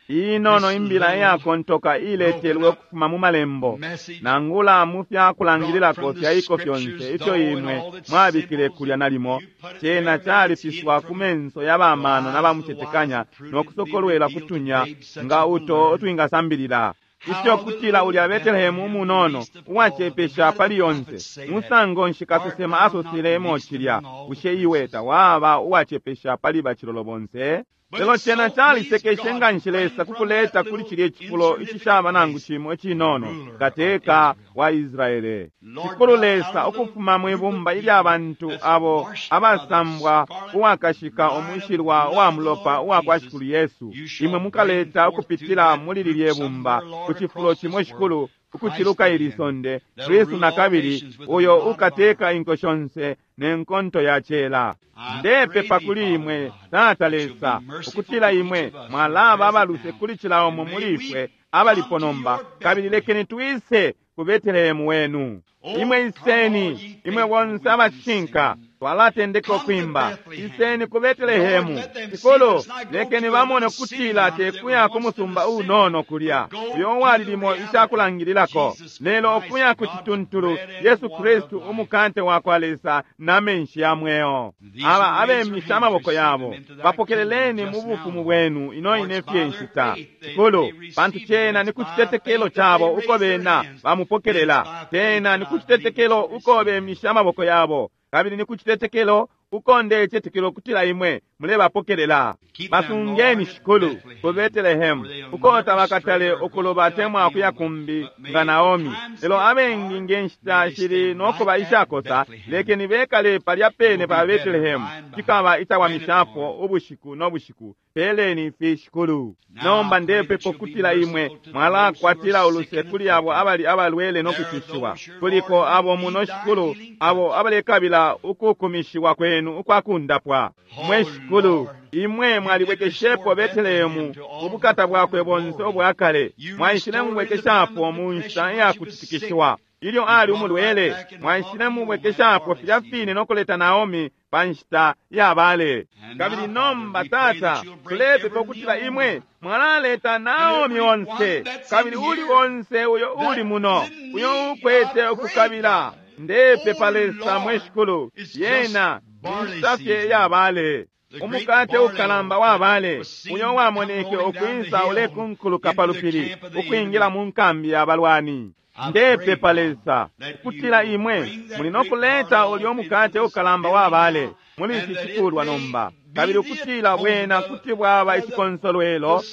inono imbila iyakontoka iletelwe ukufuma mu malembo nangula mu fyakulangililako fyaiko fyonse ifyo imwe mwabikile kulya nalimo, cena califiswa ku menso ya bamano na bamucetekanya nokusokolwela kutunya nga uto utwingasambilila. Ifyo kutila ulya Betelehemu umunono uwacepesha pali yonse, musango nshi kasesema asosele cilya, bushe iwe tawaba uwacepesha pali bacilolo bonse? Lelo cena calisekeshe nga nshi Lesa kukuleta kuli cilye cifulo icishaba nangu cimo icinono, kateka wa Israele. Shikulu Lesa, ukufuma mwibumba ilya bantu abo abasambwa uwakashika umushilwa uwa mulopa uwa kwa Shikulu Yesu, imwe mukaleta ukupitila muli lilye bumba ku cifulo cimo Shikulu, ukuciluka ili sonde, Kristu nakabili uyo ukateka inko shonse ne nkonto ya cela. Ndepepa kuli imwe Tata Lesa ukutila imwe mwalaba abaluse kuli cila umo muli ifwe abalipo nomba, kabili lekeni twise ku Betelehemu wenu. Imwe iseni, imwe bonse abacishinka, twalatendeka ukwimba, iseni ku Betelehemu. Shikulu, lekeni bamone ukutila tekuya ku musumba unono kulya uyo walilimo icakulangililako, lelo ukuya ku cituntulu Yesu Kristu umukate wa kwa Lesa na menshi ya mweo. Aba abemisha amaboko yabo, bapokeleleni mu bufumu bwenu ino ine fye nshita. Shikulu, pantu cena ni ku citetekelo cabo uko bena bamupokelela, cena ni ku citetekelo uko bemisha amaboko yabo, kabili ni ku citetekelo uko ndecetekelo kutila imwe mulebapokelela. Basungeni Shikulu ku Betelehemu uko tabakatale ukuloba temwa kuya kumbi nga Naomi. Lelo abengi nge nshita shili nokuba ishakosa, lekeni bekale palya pene pa Betelehemu, cikaba icawamishapo ubushiku no bushiku. Peleni ifi Shikulu. Nomba ndepepa kutila imwe mwalakwatila uluse kuli abo abali abalwele no kucushiwa. Kuliko abo muno Shikulu, abo abalekabila ukukumishiwa kwenu ukwakundapwa. Mwe Shikulu, imwe mwalibwekeshepo Betelehemu ubukata bwakwe bonse ubwakale, mwaishile mubwekeshapo mu nshita iyakutitikishiwa. Ilyo ali umulwele, mwaishile mubwekeshapo filya fine nokuleta Naomi pa nshita ya bale. Kabili nomba Tata, tulepepa ukutila imwe mwalaleta Naomi onse, kabili uli onse uyo uli muno, uyo ukwete ukukabila. Ndepepa Lesa mwe Shikulu, yena inshita fye ya bale. Umukate ukalamba wa bale uyo wamoneke ukwisa ulekunkuluka pa lupili ukwingila mu nkambi ya balwani. Ndepepa Lesa ukutila imwe muli nokuleta ulyo mukate ukalamba wa bale muli ici cikulwa nomba, kabili ukutila bwena kuti bwaba icikonsolwelo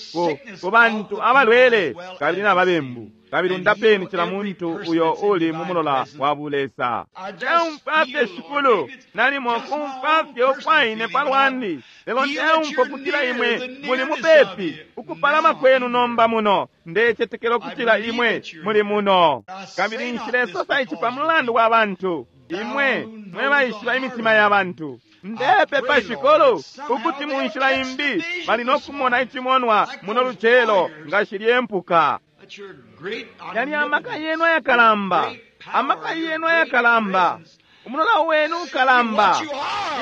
ku bantu abalwele kabili na babembu, kabili undapeni cila muntu uyo uli mu mulola wa bulesa. Ndeumfwa fye Shikulu, nalimo kumfwa fye ukwaine palwandi, lelo ndeumfwa kutila imwe muli mupepi ukupalama kwenu nomba muno. Ndecetekela ukutila imwe muli muno, kabili nshilesosa ici pa mulandu wa bantu, imwe mwe baishiba imitima ya bantu. Ndepepa Shikulu ukuti mu nshila imbi bali nokumona icimonwa muno lucelo nga shilye mpuka. Yali amaka yenu ayakalamba, amaka yenu ayakalamba, umulola wenu ukalamba.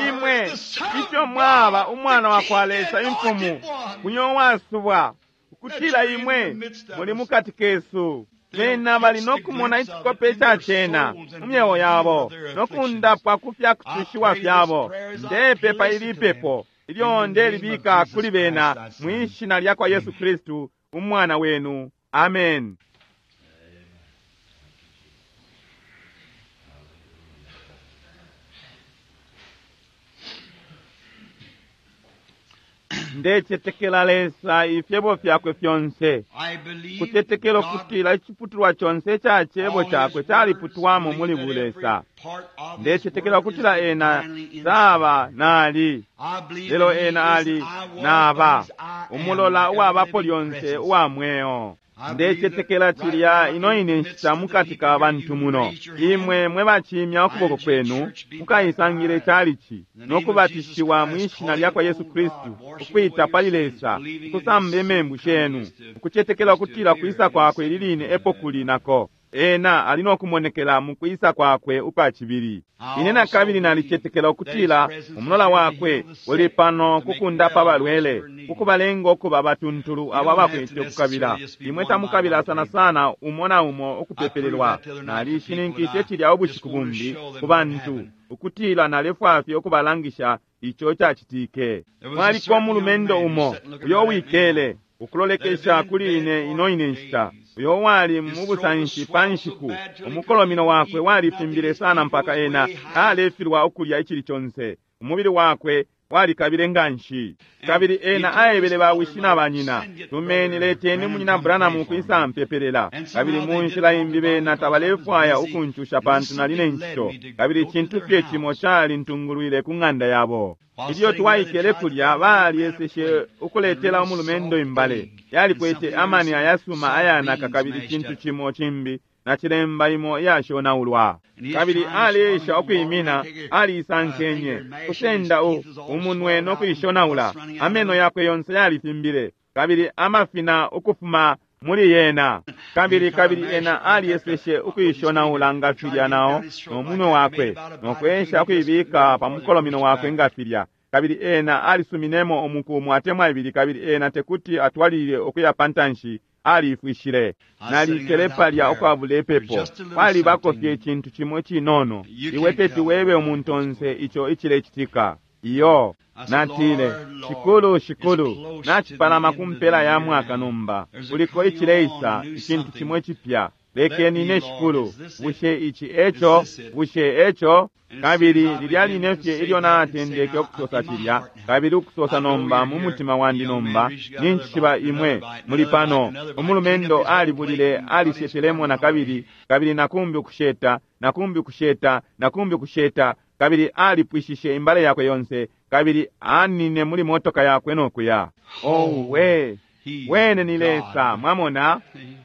Imwe ifyo mwaba umwana wa kwa Lesa imfumu, uyo wasubwa, ukutila imwe muli mukati kesu. Bena bali no kumona icikope ica cena mu myeo yabo no kundapwa ku fya kucushiwa fyabo. Ndepepa ili pepo ilyo ndelibika kuli bena mwi shina lya kwa Yesu Kristu umwana wenu. Amen. Ndecetekela Lesa ifyebo fyakwe fyonse. I believe Kutetekelo God, kutila iciputulwa chonse ica cebo all his chakwe words, caliputwamo believe muli that every bulesa. part of his Ndecetekela word is kutila ena divinely inspired. saba nali I believe lelo that he ena is ali I was, naba but he's I am, umulola the uwabapo ever-living lyonse presence. uwa mweo. I believe that Ndecetekela right cilya now ino in ine the midst nshita of the mukati people ka here, bantu you muno. raise your hand. Imwe mwe bacimya ukuboko I, kwenu church, be mukaisangile baptized. calici In the no name of Jesus kubatishiwa Christ, mwi shina calling lya kwa upon Yesu God, Kristu, washing ukwita away pali your sins, Lesa, believing in ukusamba his imembu soon coming shenu, is to- ukucetekela is to ukutila appear kwisa in his kwakwe second ili line coming. epo kuli nako. Ena ali no kumonekela mu kwisa kwakwe ukwa cibili. I Ine na also kabili believe nalicetekela that his ukutila presence is umulola here to wakwe heal the uli sick, pano to make kukundapa well those abalwele, who are needy. kukubalenga ukuba batuntulu You abo don't have abakwete to ukukabila. necessarily just be Imwe one by tamukabila one sana prayed. sana umo na umo I proved ukupepelelwa. that the other night to people Nalishininkishe that I cilya just ubushiku wanted to bumbi show them ku what bantu happened. ukutila nalefwaya fye ukubalangisha ico cacitike. There was a Mwaliko certain young umulumendo man who umo sat looking uyo right at me wikele now. ukulolekesha That had been in kuli bed ine for ino ine nshita days. uyo wali His mu throat was busanshi pa swelled so nshiku bad till he couldn't umukolomino even wakwe eat nothing. walifimbile His sana teeth mpaka was ena way high. alefilwa ukulya icili conse umubili wakwe walikabile nganshi And kabili he ena told his aebele father bawishi and na mother, banyina "Send get tumeni brother leteni Branham munyina come Branham pray for me." ukwisa mpepelela And kabili somehow mu they nshila didn't want imbi to bother bena because I was tabalefwaya busy. ukuncusha And pantu nali ne something led ncito me to kabili go to icintu their fye cimo house. calintungulwile ku ng'anda yabo. While Ilyo sitting there, they twaikele tried to kulya offer the man a balyeseshe plate and ukuletela real umulumendo soft imbale egg and yalikwete something amani else, ayasuma soft ayanaka beans kabili mashed cintu up. cimo cimbi na cilemba imo iyashonaulwa. And he was Kabili trying to swallow aliesha it and water, and ukuimina I figured, aliisankenye finger and mash it, his kusenda teeth was all umunwe swelled no out and kuishonaula pus running out of ameno him. yakwe yonse yalifimbile kabili amafina ukufuma muli yena. And he Kabili tried to kabili mash ena it like that alieseshe with his finger, ukuishonaula nga tried to filya get it nao down his throat no like munwe that. Made wakwe about a no bite or two, kwesha and he just couldn't ukuibika go pa no further and mukolomino pushed wakwe back. nga filya. Kabili ena alisuminemo umuku umo atemwa ibili kabili ena tekuti atwalilile ukuya pa ntanshi aliifwishile. I was sitting there Nalikele without palya prayer. ukwabula There's ipepo. just a little Kwalibako fye something icintu cimo icinono. you Iwe can't teti tell webe what umuntu what's onse going on. ico icilecitika. Iyo I said, natile Lord, Lord, shikulu it's shikulu close to the nacipalama end ku of the mpela ya year mwaka now. nomba There's a kuliko coming on icileisa a new icintu something. cimo icipya Let lekeni me, ine Lord, shikulu is this it? bushe ici Is eco this it? bushe eco And as soon as kabili I lilya began line to fye say ilyo that and say natendeke now, ukusosa in my cilya heart now, kabili ukusosa I know nomba you're mu here. mutima The wandi young man nomba reached got another ninjishiba bite, another imwe bite, muli another bite, pano another bite, cleaned up umulumendo his whole plate alibulile and got his alishetelemo cart na and kabili away. kabili nakumbi ukusheta nakumbi ukusheta nakumbi ukusheta kabili alipwishishe imbale yakwe yonse kabili anine muli motoka yakwe nokuya. Oh, Owe he's wene ni Lesa God. mwamona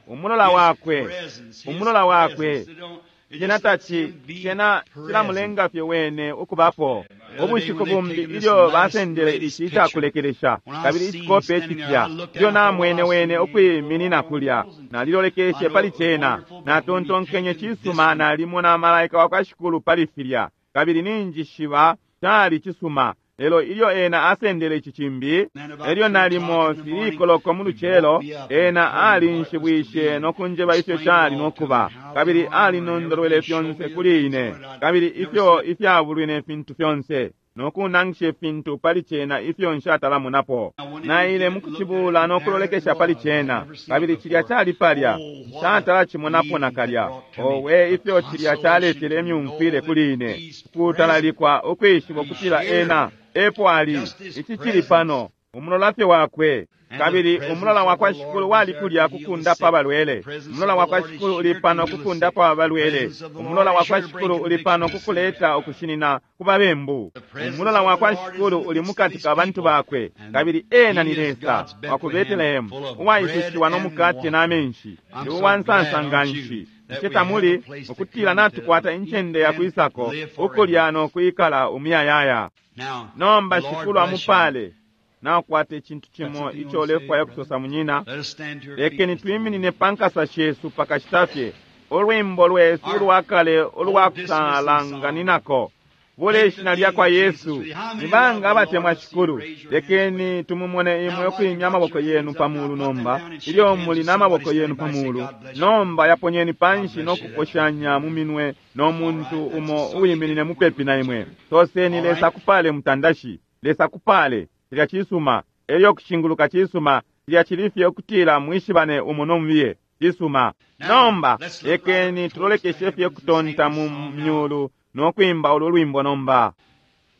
umulola His wakwe presence, his umulola wakwe presence. It don't, it cena just lets taci him be cena present. cilamulenga fye wene ukubapo. The other day Ubushiku when they'd bumbi taken this ilyo last basendele latest ici picture, icakulekelesha when I kabili seen him icikope standing there, icipya I looked ilyo down, I thought, well, namwene I wene seen ukwiminina kulya angels and I nalilolekeshe know pali it was cena wonderful, but when he natontonkenye taken this cisuma one, nalimona malaika wa kwa shikulu pali filya kabili ninjishiba cali cisuma lelo ilyo ena asendele ici cimbi then about elyo 3 o'clock nalimo in the morning, filikoloko mu he lucelo woke me up and ena told me what it was to be alinshibwishe and no kunjeba ifyo explained it cali all no to me kuba and how the kabili armor and alinondolwele everything, showed fyonse me the kuli things ine on it I'd kabili never ifyo seen. ifyabulwi ne fintu fyonse no kunangisha ifintu pali cena ifyo nshatalamonapo. I went in and Naile get it and mu looked at it, kucibula and no there it kulolekesha pali was. I'd cena never seen it kabili cilya before. cali palya Oh, what a nshatalacimonako feeling that nakalya. brought to me. Owe A ifyo cilya consolation caletele to imyumfwile know that kuli ine he's present. kutalalikwa ukwishiba He's ukutila here. ena epo ali Just his ici cili presence. pano umulola fye wakwe. And the Kabili presence umulola of wa the kwa Lord shikulu was wali there kulya to heal the kukundapa sick. The abalwele. presence Umulola of wa the kwa Lord is shikulu uli here to pano heal the sick. kukundapa The abalwele. presence of the Lord Umulola is wa kwa here to break shikulu uli pano convictions. kukuleta ukushinina ku babembu. The presence Umulola of wa the kwa Lord is in shikulu the uli midst of mukati his ka bantu people. bakwe And kabili ena he ni is Lesa God's wa ku Bethlehem, Betelehemu full of bread uwaisushiwa no and mukate water. n'amenshi. I'm Ndi so uwa glad, nsansa nga aren't you, nshi. that Bushe we have a tamuli place to ukutila come to natukwata eat incende ya and kwisako live ukulya forever. no kwikala umuyayaya. Now, Nomba the Lord shikulu bless you. amupale nakwata icintu Got cimo something you ico want to say, ulefwaya brother? ukusosa munyina. Let us stand to our feet Lekeni just a moment. twiminine pa nkasa shesu pakashita fye olwimbo lwesu Our ulwakale old dismissing song. ulwakusalanganinako. Bule Ishina lyakwa Yesu. Ni banga abatemwa Shikulu? Lekeni tumumone imwe ukwimya amaboko yenu pa mulu nomba, ilyo muli n'amaboko yenu pa mulu. Nomba yaponyeni panshi no kuposhanya mu minwe no muntu umo uwiminine mupepi na imwe. Soseni, Lesa kupale mutandashi. Lesa kupale. Cilya cisuma. Elyo kushinguluka cisuma. Cilya cili fye ukutila mwishibane umo no mubiye. Cisuma. Nomba lekeni tulolekeshe fye kutonta mu myulu no kwimba ulu lwimbo nomba.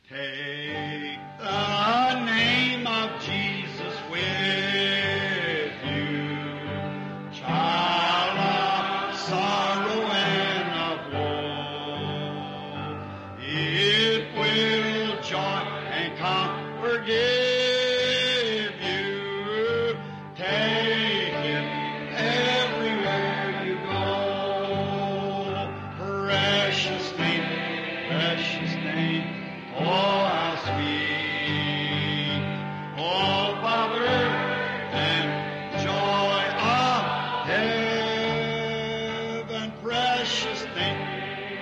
Take the name of Jesus with you, child of sorrow and of woe. It will joy and comfort give you. Take it everywhere you go. Precious name, precious name, oh how sweet. Oh Father, and joy of heaven, precious name,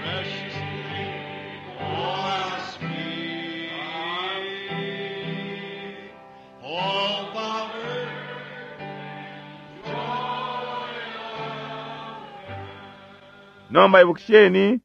precious name, oh how sweet. Oh Father, Nomba ibukisheni.